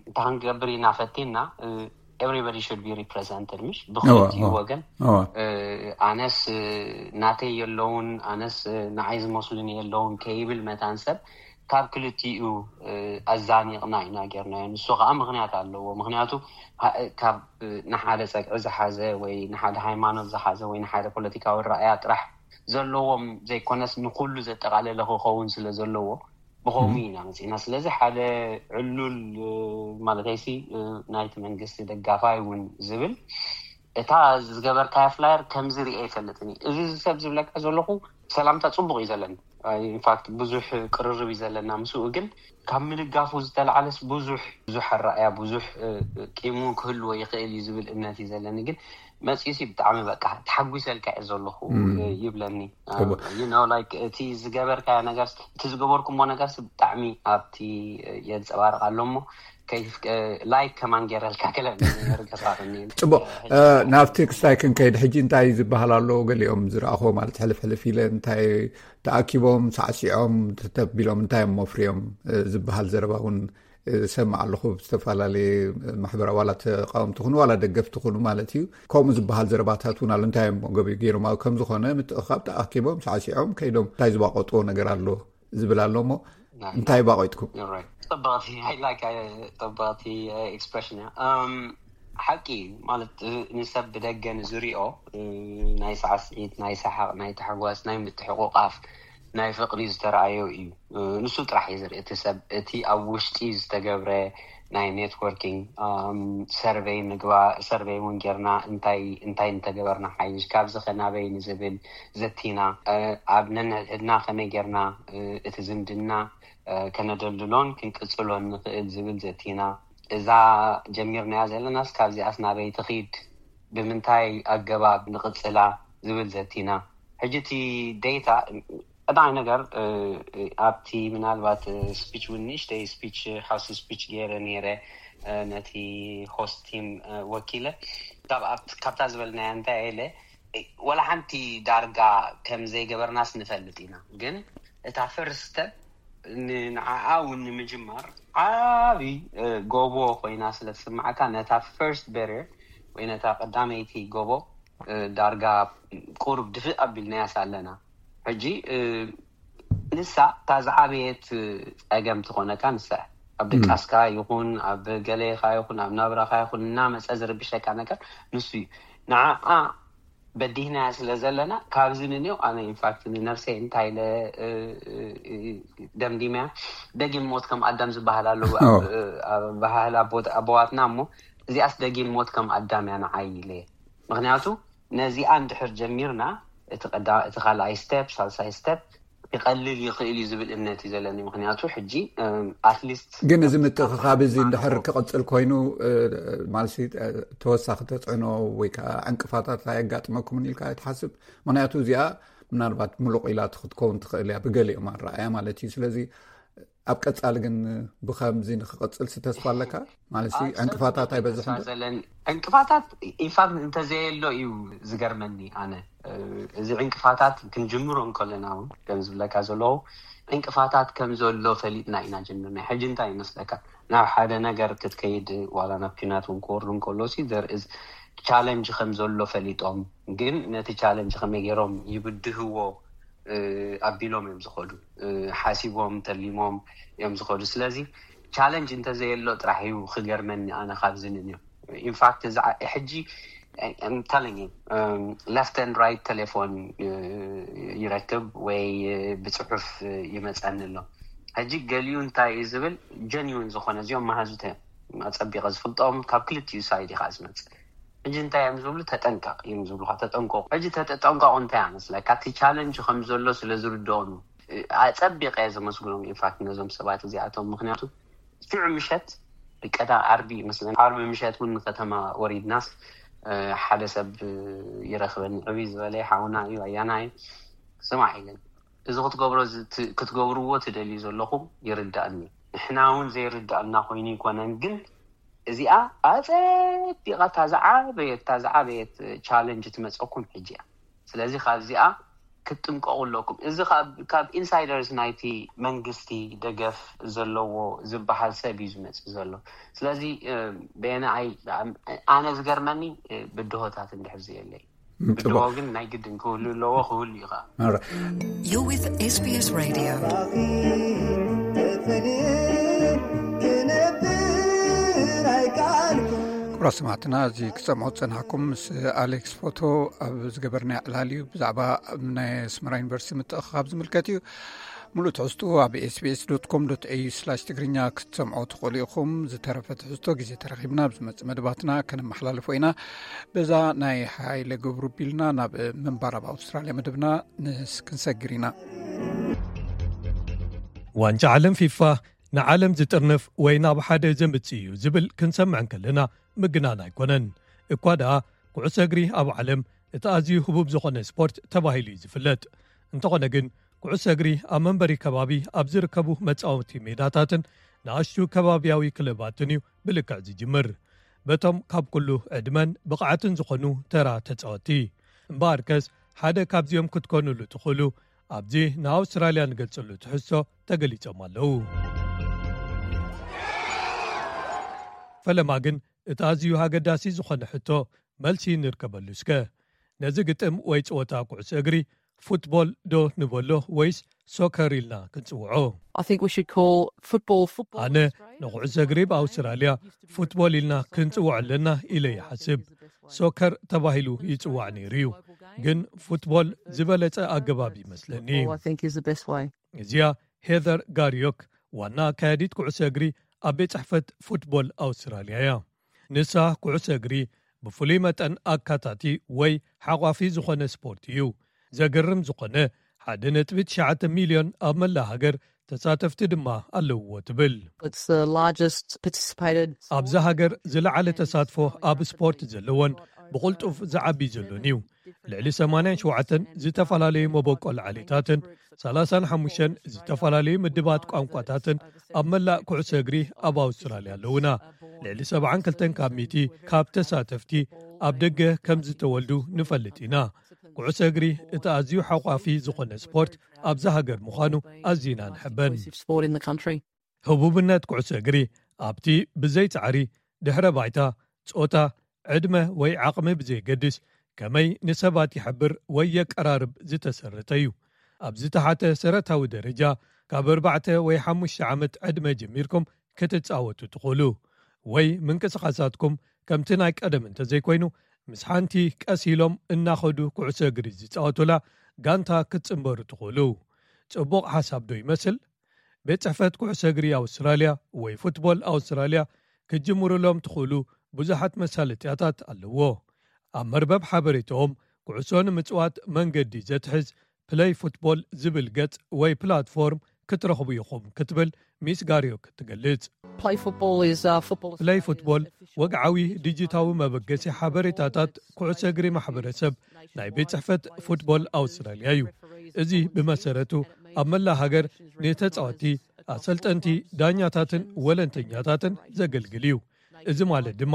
እታ ክንገብር ኢና ፈቲና፣ everybody should be represented፣ ምሽ ብክልቲኡ ወገን። ኣነስ ናተይ የለውን፣ ኣነስ ንዓይ ዝመስሉኒ የለውን ከይብል መታን ሰብ፣ ካብ ክልቲኡ ኣዛኒቕና ኢና ጌርናዮ። ንሱ ከዓ ምኽንያት ኣለዎ። ምኽንያቱ ካብ ንሓደ ጸግዒ ዝሓዘ ወይ ንሓደ ሃይማኖት ዝሓዘ ወይ ንሓደ ፖለቲካዊ ረኣያ ጥራሕ ዘለዎም ዘይኮነስ፣ ንኹሉ ዘጠቓለለ ክኸውን ስለ ዘለዎ፣ ብኸምኡ ኢና መጺእና። ስለዚ ሓደ ዕሉል፣ ማለተይሲ፣ ናይቲ መንግስቲ ደጋፋይ እውን ዝብል፣ እታ ዝገበርካያ ፍላየር ከምዚ ሪኤ ኣይፈልጥን እየ። እዚ ሰብ ዝብለካ ዘለኹ ሰላምታ ጽቡቕ እዩ ዘለኒ። ኢንፋክት ብዙሕ ቅርርብ እዩ ዘለና ምስኡ፣ ግን ካብ ምድጋፉ ዝተላዕለስ ብዙሕ፣ ብዙሕ ኣረኣያ፣ ብዙሕ ቂሙ ክህልዎ ይኽእል እዩ ዝብል እምነት እዩ ዘለኒ። ግን መጺኡሲ ብጣዕሚ በቃ ተሓጒሰልካ እየ ዘለኹ ይብለኒ። You know, like፣ እቲ ዝገበርካዮ ነገር፣ እቲ ዝገበርኩሞ ነገርሲ ብጣዕሚ ኣብቲ የንጸባርቕ ኣሎ እሞ፣ ላይክ ከማን ገይረልካ ክለኒ። ጽቡቕ። ናብቲ ክስታይ ክንከይድ፣ ሕጂ እንታይ ዝበሃል ኣሎ? ገሊኦም ዝረኣኹዎ ማለት ሕልፍ ሕልፍ ኢለ፣ እንታይ ተኣኪቦም ሳዕሲዖም ተተቢሎም እንታይ እሞ ፍርዮም ዝበሃል ዘረባ እውን ዝሰማዕ ኣለኹ። ብዝተፈላለየ ማሕበራዊ፣ ዋላ ተቃወምቲ ኩኑ ዋላ ደገፍቲ ኩኑ ማለት እዩ፣ ከምኡ ዝበሃል ዘረባታት እውን ኣሎ። እንታይ እዮም ገቢ ገይሮም? ኣብ ከም ዝኾነ ምትእኻብ ተኣኪቦም ሳዕሲዖም ከይዶም እንታይ ዝባቆጥዎ ነገር ኣሎ ዝብል ኣሎ። እሞ እንታይ ባቆይጥኩም? ጽብቕቲ፣ I like፣ ጽብቕቲ ኤክስፕሬሽን እያ። ሓቂ ማለት ንሰብ ብደገ ንዝሪኦ ናይ ሳዕስዒት፣ ናይ ሰሓቕ፣ ናይ ታሕጓስ፣ ናይ ምትሕቑቓፍ፣ ናይ ፍቕሪ ዝተረኣዮ እዩ። ንሱ ጥራሕ እዩ ዝርኢ እቲ ሰብ። እቲ ኣብ ውሽጢ ዝተገብረ ናይ ኔትወርኪንግ ሰርቨይ ምግባ ሰርቨይ እውን ጌርና እንታይ እንታይ እንተገበርና ሓይሽ ካብዚ ከናበይ ንዝብል ዘቲና፣ ኣብ ነንሕድሕድና ከመይ ጌርና እቲ ዝምድና ከነደልድሎን ክንቅጽሎን ንኽእል ዝብል ዘቲና፣ እዛ ጀሚርናያ ዘለናስ ካብዚኣስ ናበይ ትኺድ፣ ብምንታይ ኣገባብ ንቕጽላ ዝብል ዘቲና። ሕጂ እቲ ዴታ ቀዳማይ ነገር ኣብቲ ምናልባት ስፒች እውን ንእሽተይ ስፒች ሃውስ ስፒች ገይረ ነይረ ነቲ ሆስት ቲም ወኪለ ካብታ ዝበልናያ እንታይ ኢለ ወላ ሓንቲ ዳርጋ ከም ዘይገበርናስ ንፈልጥ ኢና፣ ግን እታ ፈርስት ስቴፕ ንዓኣ እውን ንምጅማር ዓብይ ጎቦ ኮይና ስለ ትስማዓካ ነታ ፈርስት ቤሪየር ወይ ነታ ቀዳመይቲ ጎቦ ዳርጋ ቁሩብ ድፍእ ኣቢልናያስ ኣለና። ሕጂ ንሳ እታ ዝዓበየት ጸገም ትኾነካ ንሳ ኣብ ድቃስካ ይኹን ኣብ ገሌኻ ይኹን ኣብ ናብራኻ ይኹን እናመጸ ዝርብሸካ ነገር ንሱ እዩ። ንዓኣ በዲህናያ ስለ ዘለና ካብዚ ንንዮ ኣነ ኢንፋክት ንነብሰይ እንታይ ኢለ ደምዲመያ። ደጊም ሞት ከም ኣዳም ዝበሃል ኣለዉ ኣብ ባህል ኣቦዋትና። እሞ እዚኣስ ደጊም ሞት ከም ኣዳም እያ ንዓይ ኢለ። ምክንያቱ ነዚኣ እንድሕር ጀሚርና እቲ ካልኣይ ስቴፕ፣ ሳልሳይ ስቴፕ ክቐልል ይኽእል እዩ ዝብል እምነት እዩ ዘለኒ። ምክንያቱ ሕጂ ኣትሊስት ግን እዚ ምትእኽኻብ እዚ እንድሕር ክቕፅል ኮይኑ ማለት ተወሳኺ ተፅዕኖ ወይ ከዓ ዕንቅፋታት ኣየጋጥመኩምን ኢልካ ትሓስብ? ምክንያቱ እዚኣ ምናልባት ምሉቕ ኢላ ክትከውን ትኽእል እያ ብገሊኦም ኣረኣያ ማለት እዩ። ስለዚ ኣብ ቀፃሊ ግን ብከምዚ ንክቐፅል ተስፋ ኣለካ ማለት ዕንቅፋታት ኣይበዝሕን? ዕንቅፋታት ኢንፋክት እንተዘየሎ እዩ ዝገርመኒ። ኣነ እዚ ዕንቅፋታት ክንጅምሮ እንከለና እውን ከም ዝብለካ ዘለዉ ዕንቅፋታት ከም ዘሎ ፈሊጥና ኢና ጀምርና። ሕጂ እንታይ ይመስለካ ናብ ሓደ ነገር ክትከይድ ዋላ ናብ ኪናት እውን ክወርዱ እንከሎ ዘርእ ቻለንጅ ከም ዘሎ ፈሊጦም ግን ነቲ ቻለንጅ ከመይ ገይሮም ይብድህዎ ኣቢሎም እዮም ዝኸዱ። ሓሲቦም ተሊሞም እዮም ዝኸዱ። ስለዚ ቻለንጅ እንተዘየሎ ጥራሕ እዩ ክገርመኒ ኣነ ካብዚ ንንዮ። ኢንፋክት እዚ ሕጂ ተለኝ ለፍት ን ራይት ቴሌፎን ይረክብ ወይ ብፅሑፍ ይመፀኒ ኣሎ። ሕጂ ገሊኡ እንታይ እዩ ዝብል ጀኒውን ዝኾነ እዚኦም መሃዙተ ኣፀቢቐ ዝፍልጦም ካብ ክልቲኡ ሳይድ ኢኻ ዝመፅእ። ሕጂ እንታይ እዮም ዝብሉ ተጠንቀቕ እዮም ዝብሉካ። ተጠንቀቑ። ሕጂ ተጠንቀቑ እንታይ ኣመስለካ እቲ ቻለንጅ ከም ዘሎ ስለ ዝርድኦም ኣፀቢቐ እየ ዘመስግኖም። ኢንፋክት ነዞም ሰባት እዚኣቶም ምክንያቱ ሽዑ ምሸት ቀዳ ዓርቢ ይመስለኒ ዓርቢ ምሸት እውን ንከተማ ወሪድናስ ሓደ ሰብ ይረክበኒ ዕብይ ዝበለ ሓውና እዩ ኣያና እዩ ስማዕ ኢለን እዚ ክትገብሮ ክትገብርዎ ትደልዩ ዘለኹም ይርዳእኒ። ንሕና እውን ዘይርዳእና ኮይኑ ይኮነን ግን እዚኣ ኣፀቢቓ እታ ዝዓበየት እታ ዝዓበየት ቻለንጅ ትመፀኩም ሕጂ እያ። ስለዚ ካብዚኣ ክትጥንቀቑ ኣለኩም። እዚ ካብ ኢንሳይደርስ ናይቲ መንግስቲ ደገፍ ዘለዎ ዝበሃል ሰብ እዩ ዝመፅእ ዘሎ። ስለዚ በየነ ኣይ ኣነ ዝገርመኒ ብድሆታት እንድሕር ዘየለይ ብድሆ ግን ናይ ግድን ክህሉ ኣለዎ ክህሉ እዩ ከዓ። You're with S B S Radio. ክቡራት ሰማዕትና እዚ ክሰምዖ ዝጸናሕኩም ምስ ኣሌክስ ፎቶ ኣብ ዝገበርና ዕላል እዩ ብዛዕባ ናይ ኣስመራ ዩኒቨርሲቲ ምትእኽኻብ ዝምልከት እዩ። ሙሉእ ትሕዝትኡ ኣብ ኤስቢኤስ ዶት ኮም ዶት ኤዩ ስላሽ ትግርኛ ክትሰምዖ ትኽእሉ ኢኹም። ዝተረፈ ትሕዝቶ ግዜ ተረኺብና ኣብ ዝመጽእ መደባትና ከነመሓላልፎ ኢና። በዛ ናይ ሓይለ ገብሩ ቢልና ናብ ምንባር ኣብ ኣውስትራልያ መደብና ክንሰግር ኢና። ዋንጫ ዓለም ፊፋ ንዓለም ዝጥርንፍ ወይ ናብ ሓደ ዘምጽእ እዩ ዝብል ክንሰምዕ እንከለና ምግናን ኣይኮነን። እኳ ደኣ ኩዕሶ እግሪ ኣብ ዓለም እቲ ኣዝዩ ህቡብ ዝኾነ ስፖርት ተባሂሉ እዩ ዝፍለጥ። እንተኾነ ግን ኩዕሶ እግሪ ኣብ መንበሪ ከባቢ ኣብ ዝርከቡ መጻወቲ ሜዳታትን ንኣሽቱ ከባብያዊ ክለባትን እዩ ብልክዕ ዝጅምር። በቶም ካብ ኩሉ ዕድመን ብቕዓትን ዝኾኑ ተራ ተጻወቲ። እምበኣርከስ ሓደ ካብዚኦም ክትኮኑሉ ትኽእሉ ኣብዚ ንኣውስትራልያ ንገልጸሉ ትሕዝቶ ተገሊጾም ኣለዉ። ፈለማ ግን እቲ ኣዝዩ ኣገዳሲ ዝኾነ ሕቶ መልሲ ንርከበሉ እስከ። ነዚ ግጥም ወይ ጸወታ ኩዕሶ እግሪ ፉትቦል ዶ ንበሎ ወይስ ሶከር ኢልና ክንጽውዖ? I think we should call football football. ኣነ ንኩዕሶ እግሪ ብኣውስትራልያ ፉትቦል ኢልና ክንጽውዖ ኣለና ኢለ ይሓስብ። ሶከር ተባሂሉ ይጽዋዕ ነይሩ እዩ፣ ግን ፉትቦል ዝበለጸ ኣገባብ ይመስለኒ። I think is the best way. እዚኣ ሄዘር ጋሪዮክ፣ ዋና ኣካያዲት ኩዕሶ እግሪ ኣብ ቤት ጽሕፈት ፉትቦል ኣውስትራልያ እያ። ንሳ ኩዕሶ እግሪ ብፍሉይ መጠን ኣካታቲ ወይ ሓቋፊ ዝኾነ ስፖርት እዩ። ዘገርም ዝኾነ፣ ሓደ ነጥቢ ትሽዓተ ሚልዮን ኣብ መላእ ሃገር ተሳተፍቲ ድማ ኣለውዎ ትብል። It's the largest participated. ኣብዛ ሃገር ዝለዓለ ተሳትፎ ኣብ ስፖርት ዘለዎን ብቕልጡፍ ዝዓቢ ዘሎን እዩ። ልዕሊ ሰማንያን ሸውዓተን ዝተፈላለዩ መበቆል ዓሌታትን ሰላሳን ሓሙሽተን ዝተፈላለዩ ምድባት ቋንቋታትን ኣብ መላእ ኩዕሶ እግሪ ኣብ ኣውስትራልያ ኣለውና። ልዕሊ ሰብዓን ክልተን ካብ ሚእቲ ካብ ተሳተፍቲ ኣብ ደገ ከም ዝተወልዱ ንፈልጥ ኢና። ኩዕሶ እግሪ እቲ ኣዝዩ ሓቋፊ ዝኾነ ስፖርት ኣብዛ ሃገር ምዃኑ ኣዚና ንሕበን። Sport in the country. ህቡብነት ኩዕሶ እግሪ ኣብቲ ብዘይ ጻዕሪ፣ ድሕረ ባይታ፣ ጾታ፣ ዕድመ ወይ ዓቕሚ ብዘይገድስ ከመይ ንሰባት ይሕብር ወይ የቀራርብ ዝተሰረተ እዩ። ኣብ ዝተሓተ ሰረታዊ ደረጃ፣ ካብ ኣርባዕተ ወይ ሓሙሽተ ዓመት ዕድመ ጀሚርኩም ክትጻወቱ ትኽእሉ፣ ወይ ምንቅስቓሳትኩም ከምቲ ናይ ቀደም እንተዘይኮይኑ፣ ምስ ሓንቲ ቀስ ኢሎም እናኸዱ ኩዕሶ እግሪ ዝጻወቱላ ጋንታ ክትጽንበሩ ትኽእሉ። ጽቡቕ ሓሳብ ዶ ይመስል? ቤት ጽሕፈት ኩዕሶ እግሪ ኣውስትራልያ ወይ ፉትቦል ኣውስትራልያ ክትጅምሩሎም ትኽእሉ ብዙሓት መሳለጥያታት ኣለዎ። ኣብ መርበብ ሓበሬታኦም፣ ኩዕሶ ንምጽዋት መንገዲ ዘትሕዝ ፕለይ ፉትቦል ዝብል ገጽ ወይ ፕላትፎርም ክትረኽቡ ኢኹም ክትብል ሚስ ጋሪዮክ ትገልጽ። Play football is uh, football. ፕለይ ፉትቦል ወግዓዊ ዲጂታዊ መበገሲ ሓበሬታታት ኩዕሶ እግሪ ማሕበረሰብ ናይ ቤት ጽሕፈት ፉትቦል ኣውስትራልያ እዩ። እዚ ብመሰረቱ ኣብ መላእ ሃገር ንተጻወቲ፣ ኣሰልጠንቲ፣ ዳኛታትን ወለንተኛታትን ዘገልግል እዩ። እዚ ማለት ድማ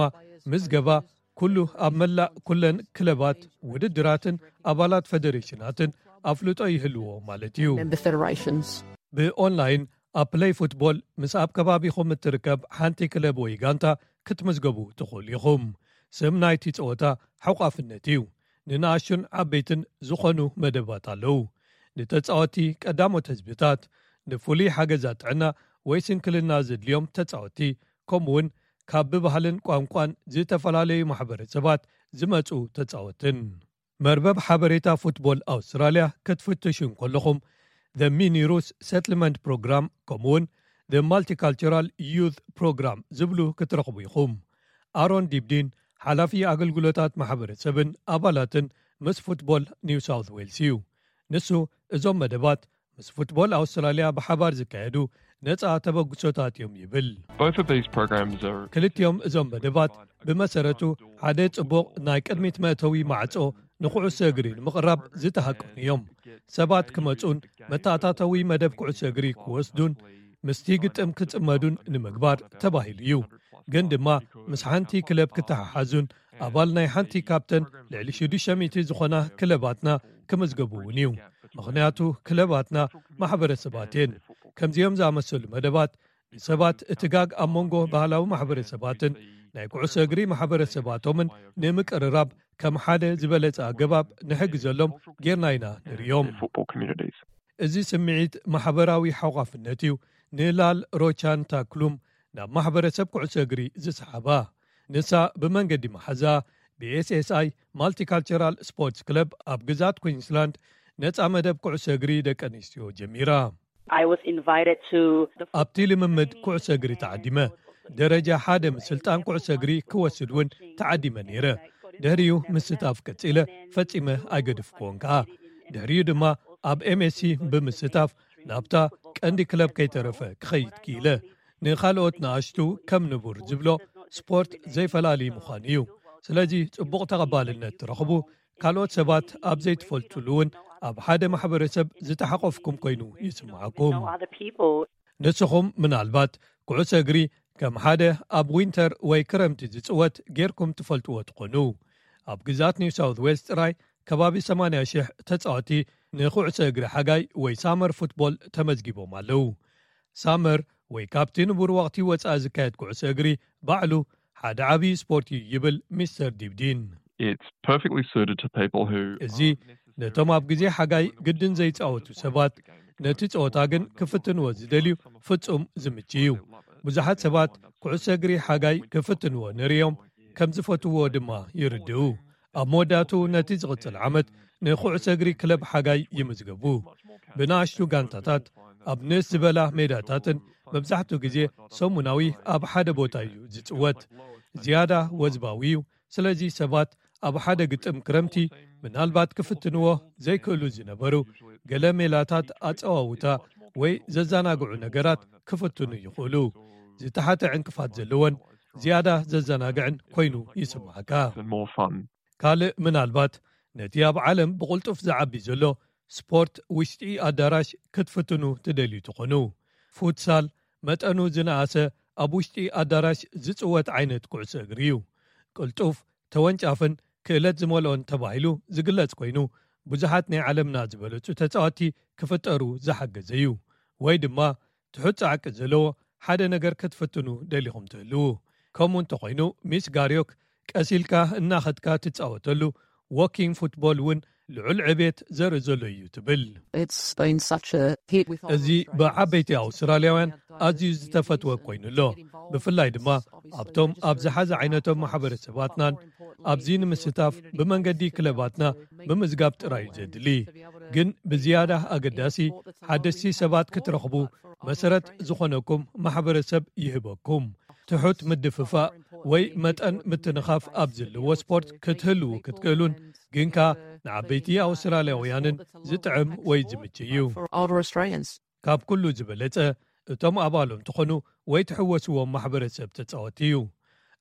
ምዝገባ ኩሉ ኣብ መላእ ኩለን ክለባት፣ ውድድራትን ኣባላት ፈደሬሽናትን ኣፍልጦ ይህልዎ ማለት እዩ። Member federations. ብኦንላይን ኣብ ፕለይ ፉትቦል ምስ ኣብ ከባቢኹም እትርከብ ሓንቲ ክለብ ወይ ጋንታ ክትምዝገቡ ትኽእሉ ኢኹም። ስም ናይቲ ጸወታ ሓቋፍነት እዩ። ንንኣሽቱን ዓበይትን ዝኾኑ መደባት ኣለዉ። ንተጻወቲ ቀዳሞት ህዝብታት፣ ንፍሉይ ሓገዛት ጥዕና ወይ ስንክልና ዘድልዮም ተጻወቲ፣ ከምኡውን ካብ ብባህልን ቋንቋን ዝተፈላለዩ ማሕበረሰባት ዝመጹ ተጻወትን። መርበብ ሓበሬታ ፉትቦል ኣውስትራልያ ክትፍትሹ እንከለኹም፣ The Mini Roos Settlement Program ከምኡውን The Multicultural Youth Program ዝብሉ ክትረኽቡ ኢኹም። ኣሮን ዲብዲን፣ ሓላፊ ኣገልግሎታት ማሕበረሰብን ኣባላትን ምስ ፉትቦል ኒው ሳውት ዌልስ እዩ። ንሱ እዞም መደባት ምስ ፉትቦል ኣውስትራልያ ብሓባር ዝካየዱ ነጻ ተበግሶታት እዮም ይብል። Both of these programs are ክልቲኦም እዞም መደባት ብመሰረቱ ሓደ ጽቡቕ ናይ ቅድሚት መእተዊ ማዕጾ ንኩዕሶ እግሪ ንምቕራብ ዝተሃቀኑ እዮም። ሰባት ክመጹን መተኣታተዊ መደብ ኩዕሶ እግሪ ክወስዱን ምስቲ ግጥም ክጽመዱን ንምግባር ተባሂሉ እዩ። ግን ድማ ምስ ሓንቲ ክለብ ክተሓሓዙን ኣባል ናይ ሓንቲ ካብተን ልዕሊ ሽዱሽተ ሚእቲ ዝኾና ክለባትና ክምዝገቡ እውን እዩ። ምኽንያቱ ክለባትና ማሕበረሰባት እየን። ከምዚኦም ዝኣመሰሉ መደባት ንሰባት እቲ ጋግ ኣብ መንጎ ባህላዊ ማሕበረሰባትን ናይ ኩዕሶ እግሪ ማሕበረሰባቶምን ንምቅርራብ ከም ሓደ ዝበለጸ ኣገባብ ንሕግዘሎም ጌርና ኢና ንርእዮም። football communities. እዚ ስምዒት ማሕበራዊ ሓቋፍነት እዩ ንላል ሮቻን ታክሉም ናብ ማሕበረሰብ ኩዕሶ እግሪ ዝሰሓባ። ንሳ ብመንገዲ መሓዛ ብኤስኤስኣይ ማልቲካልቸራል ስፖርትስ ክለብ ኣብ ግዛት ኩዊንስላንድ ነጻ መደብ ኩዕሶ እግሪ ደቂ ኣንስትዮ ጀሚራ። I was invited to the ኣብቲ ልምምድ ኩዕሶ እግሪ ተዓዲመ። ደረጃ ሓደ ምስልጣን ኩዕሶ እግሪ ክወስድ እውን ተዓዲመ ነይረ። ድሕሪኡ ምስታፍ ቀጺለ፣ ፈጺመ ኣይገድፍክዎን ከኣ። ድሕሪኡ ድማ ኣብ ኤምኤስሲ ብምስታፍ ናብታ ቀንዲ ክለብ ከይተረፈ ክኸይድ ክኢለ። ንኻልኦት ንኣሽቱ ከም ንቡር ዝብሎ ስፖርት ዘይፈላሊ ምዃኑ እዩ። ስለዚ ጽቡቕ ተቐባልነት ትረኽቡ፣ ካልኦት ሰባት ኣብ ዘይትፈልጡሉ እውን ኣብ ሓደ ማሕበረሰብ ዝተሓቆፍኩም ኮይኑ ይስምዓኩም። Other people. ንስኹም ምናልባት ኩዕሶ እግሪ ከም ሓደ ኣብ ዊንተር ወይ ክረምቲ ዝጽወት ጌርኩም ትፈልጥዎ ትኾኑ። ኣብ ግዛት ኒው ሳውት ዌልስ ጥራይ ከባቢ ሰማንያ ሽሕ ተጻወቲ ንኩዕሶ እግሪ ሓጋይ ወይ ሳመር ፉትቦል ተመዝጊቦም ኣለዉ። ሳመር ወይ ካብቲ ንቡር ወቕቲ ወጻኢ ዝካየድ ኩዕሶ እግሪ ባዕሉ ሓደ ዓብዪ ስፖርት እዩ ይብል ሚስተር ዲብዲን። It's perfectly suited to people who እዚ ነቶም ኣብ ግዜ ሓጋይ ግድን ዘይጻወቱ ሰባት፣ ነቲ ጸወታ ግን ክፍትንዎ ዝደልዩ ፍጹም ዝምች እዩ። ብዙሓት ሰባት ኩዕሶ እግሪ ሓጋይ ክፍትንዎ ንርእዮም ከም ዝፈትዎ ድማ ይርድኡ። ኣብ መወዳእቱ ነቲ ዝቕጽል ዓመት ንኩዕሶ እግሪ ክለብ ሓጋይ ይምዝገቡ። ብንኣሽቱ ጋንታታት ኣብ ንእስ ዝበላ ሜዳታትን መብዛሕትኡ ግዜ ሰሙናዊ ኣብ ሓደ ቦታ እዩ ዝጽወት። ዝያዳ ወዝባዊ እዩ። ስለዚ ሰባት ኣብ ሓደ ግጥም ክረምቲ ምናልባት ክፍትንዎ ዘይክእሉ ዝነበሩ ገለ ሜላታት ኣጸዋውታ ወይ ዘዘናግዑ ነገራት ክፍትኑ ይኽእሉ። ዝተሓተ ዕንቅፋት ዘለዎን ዝያዳ ዘዘናግዕን ኮይኑ ይስምዓካ። and more fun. ካልእ ምናልባት ነቲ ኣብ ዓለም ብቕልጡፍ ዝዓቢ ዘሎ ስፖርት ውሽጢ ኣዳራሽ ክትፍትኑ ትደልዩ ትኾኑ። ፉትሳል መጠኑ ዝነኣሰ ኣብ ውሽጢ ኣዳራሽ ዝጽወት ዓይነት ኩዕሶ እግሪ እዩ። ቅልጡፍ፣ ተወንጫፍን ክእለት ዝመልኦን ተባሂሉ ዝግለጽ ኮይኑ፣ ብዙሓት ናይ ዓለምና ዝበለጹ ተጻወትቲ ክፍጠሩ ዝሓገዘ እዩ። ወይ ድማ ትሑት ጻዕቂ ዘለዎ ሓደ ነገር ክትፍትኑ ደሊኹም ትህልዉ። ከምኡ እንተኾይኑ፣ ሚስ ጋርዮክ ቀሲልካ እናኸድካ ትጻወተሉ ዎኪንግ ፉትቦል እውን ልዑል ዕቤት ዘርኢ ዘሎ እዩ ትብል። It's been such a hit with እዚ ብዓበይቲ ኣውስትራልያውያን ኣዝዩ ዝተፈትወ ኮይኑ ኣሎ። ብፍላይ ድማ ኣብቶም ኣብ ዝሓዘ ዓይነቶም ማሕበረሰባትናን ኣብዚ ንምስታፍ ብመንገዲ ክለባትና ብምዝጋብ ጥራይ እዩ ዘድሊ። ግን ብዝያዳ ኣገዳሲ ሓደስቲ ሰባት ክትረኽቡ መሰረት ዝኾነኩም ማሕበረሰብ ይህበኩም። ትሑት ምድፍፋእ ወይ መጠን ምትንኻፍ ኣብ ዘለዎ ስፖርት ክትህልዉ ክትክእሉን ግን ከኣ ንዓበይቲ ኣውስትራልያውያንን ዝጥዕም ወይ ዝምች እዩ። for older Australians. ካብ ኩሉ ዝበለጸ እቶም ኣባሎም ትኾኑ ወይ ትሕወስዎም ማሕበረሰብ ተጻወቲ እዩ።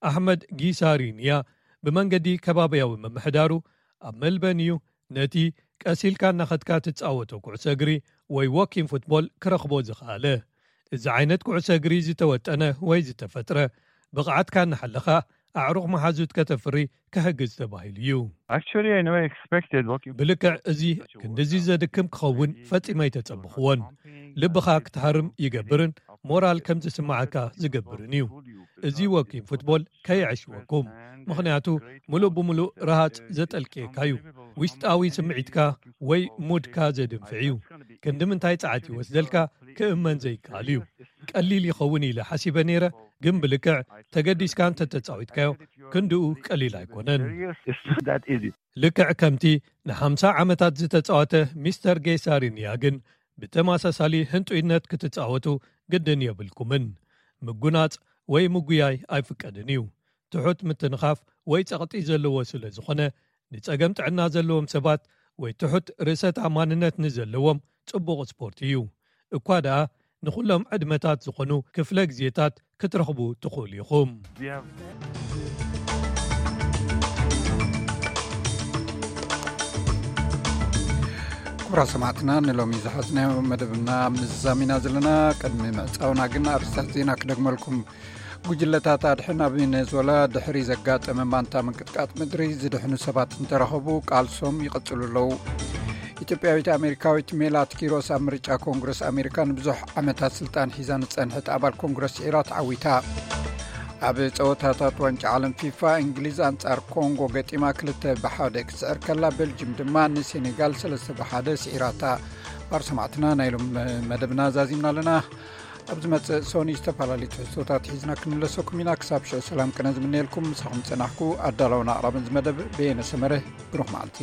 ኣሕመድ ጊሳሪንያ ብመንገዲ ከባብያዊ ምምሕዳሩ ኣብ መልበን እዩ ነቲ ቀሲልካ እናኸድካ ትጻወቶ ኩዕሶ እግሪ ወይ ዎኪንግ ፉትቦል ክረኽቦ ዝኸኣለ። እዚ ዓይነት ኩዕሶ እግሪ ዝተወጠነ ወይ ዝተፈጥረ ብቕዓትካ እናሓለኻ ኣዕሩኽ መሓዙት ከተፍሪ ክሕግዝ ተባሂሉ እዩ። Actually, I never expected walking. ብልክዕ እዚ ክንድዚ ዘድክም ክኸውን ፈጺመ ኣይተጸብኽዎን። ልብኻ ክትሃርም ይገብርን ሞራል ከም ዝስምዓካ ዝገብርን እዩ። እዚ ዎኪንግ ፉትቦል ከየዕሽወኩም፣ ምኽንያቱ ምሉእ ብምሉእ ረሃጽ ዘጠልቅየካ እዩ። ውሽጣዊ ስምዒትካ ወይ ሙድካ ዘድንፍዕ እዩ። ክንዲ ምንታይ ጸዓት ይወስደልካ ክእመን ዘይከኣል እዩ። ቀሊል ይኸውን ኢለ ሓሲበ ነይረ፣ ግን ብልክዕ ተገዲስካ እንተተጻዊትካዮ ክንድኡ ቀሊል ኣይኮነን። It's not that easy. ልክዕ ከምቲ ንሓምሳ ዓመታት ዝተጻወተ ሚስተር ጌሳሪንያ ግን ብተመሳሳሊ ህንጡይነት ክትጻወቱ ግድን የብልኩምን። ምጉናጽ ወይ ምጉያይ ኣይፍቀድን እዩ። ትሑት ምትንኻፍ ወይ ጸቕጢ ዘለዎ ስለ ዝኾነ ንጸገም ጥዕና ዘለዎም ሰባት ወይ ትሑት ርእሰ ተኣማንነት ንዘለዎም ጽቡቕ ስፖርት እዩ። እኳ ደኣ ንኹሎም ዕድመታት ዝኾኑ ክፍለ ግዜታት ክትረኽቡ ትኽእሉ ኢኹም። ክቡራት ሰማዕትና፣ ንሎሚ ዝሓዝናዮ መደብና ምዝዛም ኢና ዘለና። ቅድሚ ምዕጻውና ግን ኣርእስታት ዜና ክደግመልኩም። ጉጅለታት ኣድሕን ኣብ ቬኔዙዌላ ድሕሪ ዘጋጠመ ማንታ ምንቅጥቃጥ ምድሪ ዝድሕኑ ሰባት እንተረኸቡ ቃልሶም ይቐጽሉ ኣለዉ። ኢትዮጵያዊት ኣሜሪካዊት ሜላት ኪሮስ ኣብ ምርጫ ኮንግረስ ኣሜሪካ ንብዙሕ ዓመታት ስልጣን ሒዛ ንጸንሐት ኣባል ኮንግረስ ስዒራ ተዓዊታ። ኣብ ጸወታታት ዋንጫ ዓለም ፊፋ እንግሊዝ ኣንጻር ኮንጎ ገጢማ ክልተ ብሓደ ክትስዕር ከላ፣ ቤልጅም ድማ ንሴኔጋል ሰለስተ ብሓደ ስዒራታ። ባር ሰማዕትና፣ ናይ ሎም መደብና ዛዚምና ኣለና። ኣብ ዝመጽእ ሶኒ ዝተፈላለዩ ትሕዝቶታት ሒዝና ክንምለሰኩም ኢና። ክሳብ ሽዑ ሰላም ቅነ ዝምነየልኩም። ምሳኹም ጸናሕኩ ኣዳላውን ኣቕራብን ዝመደብ በየነ ሰመረ። ብሩኽ መዓልቲ።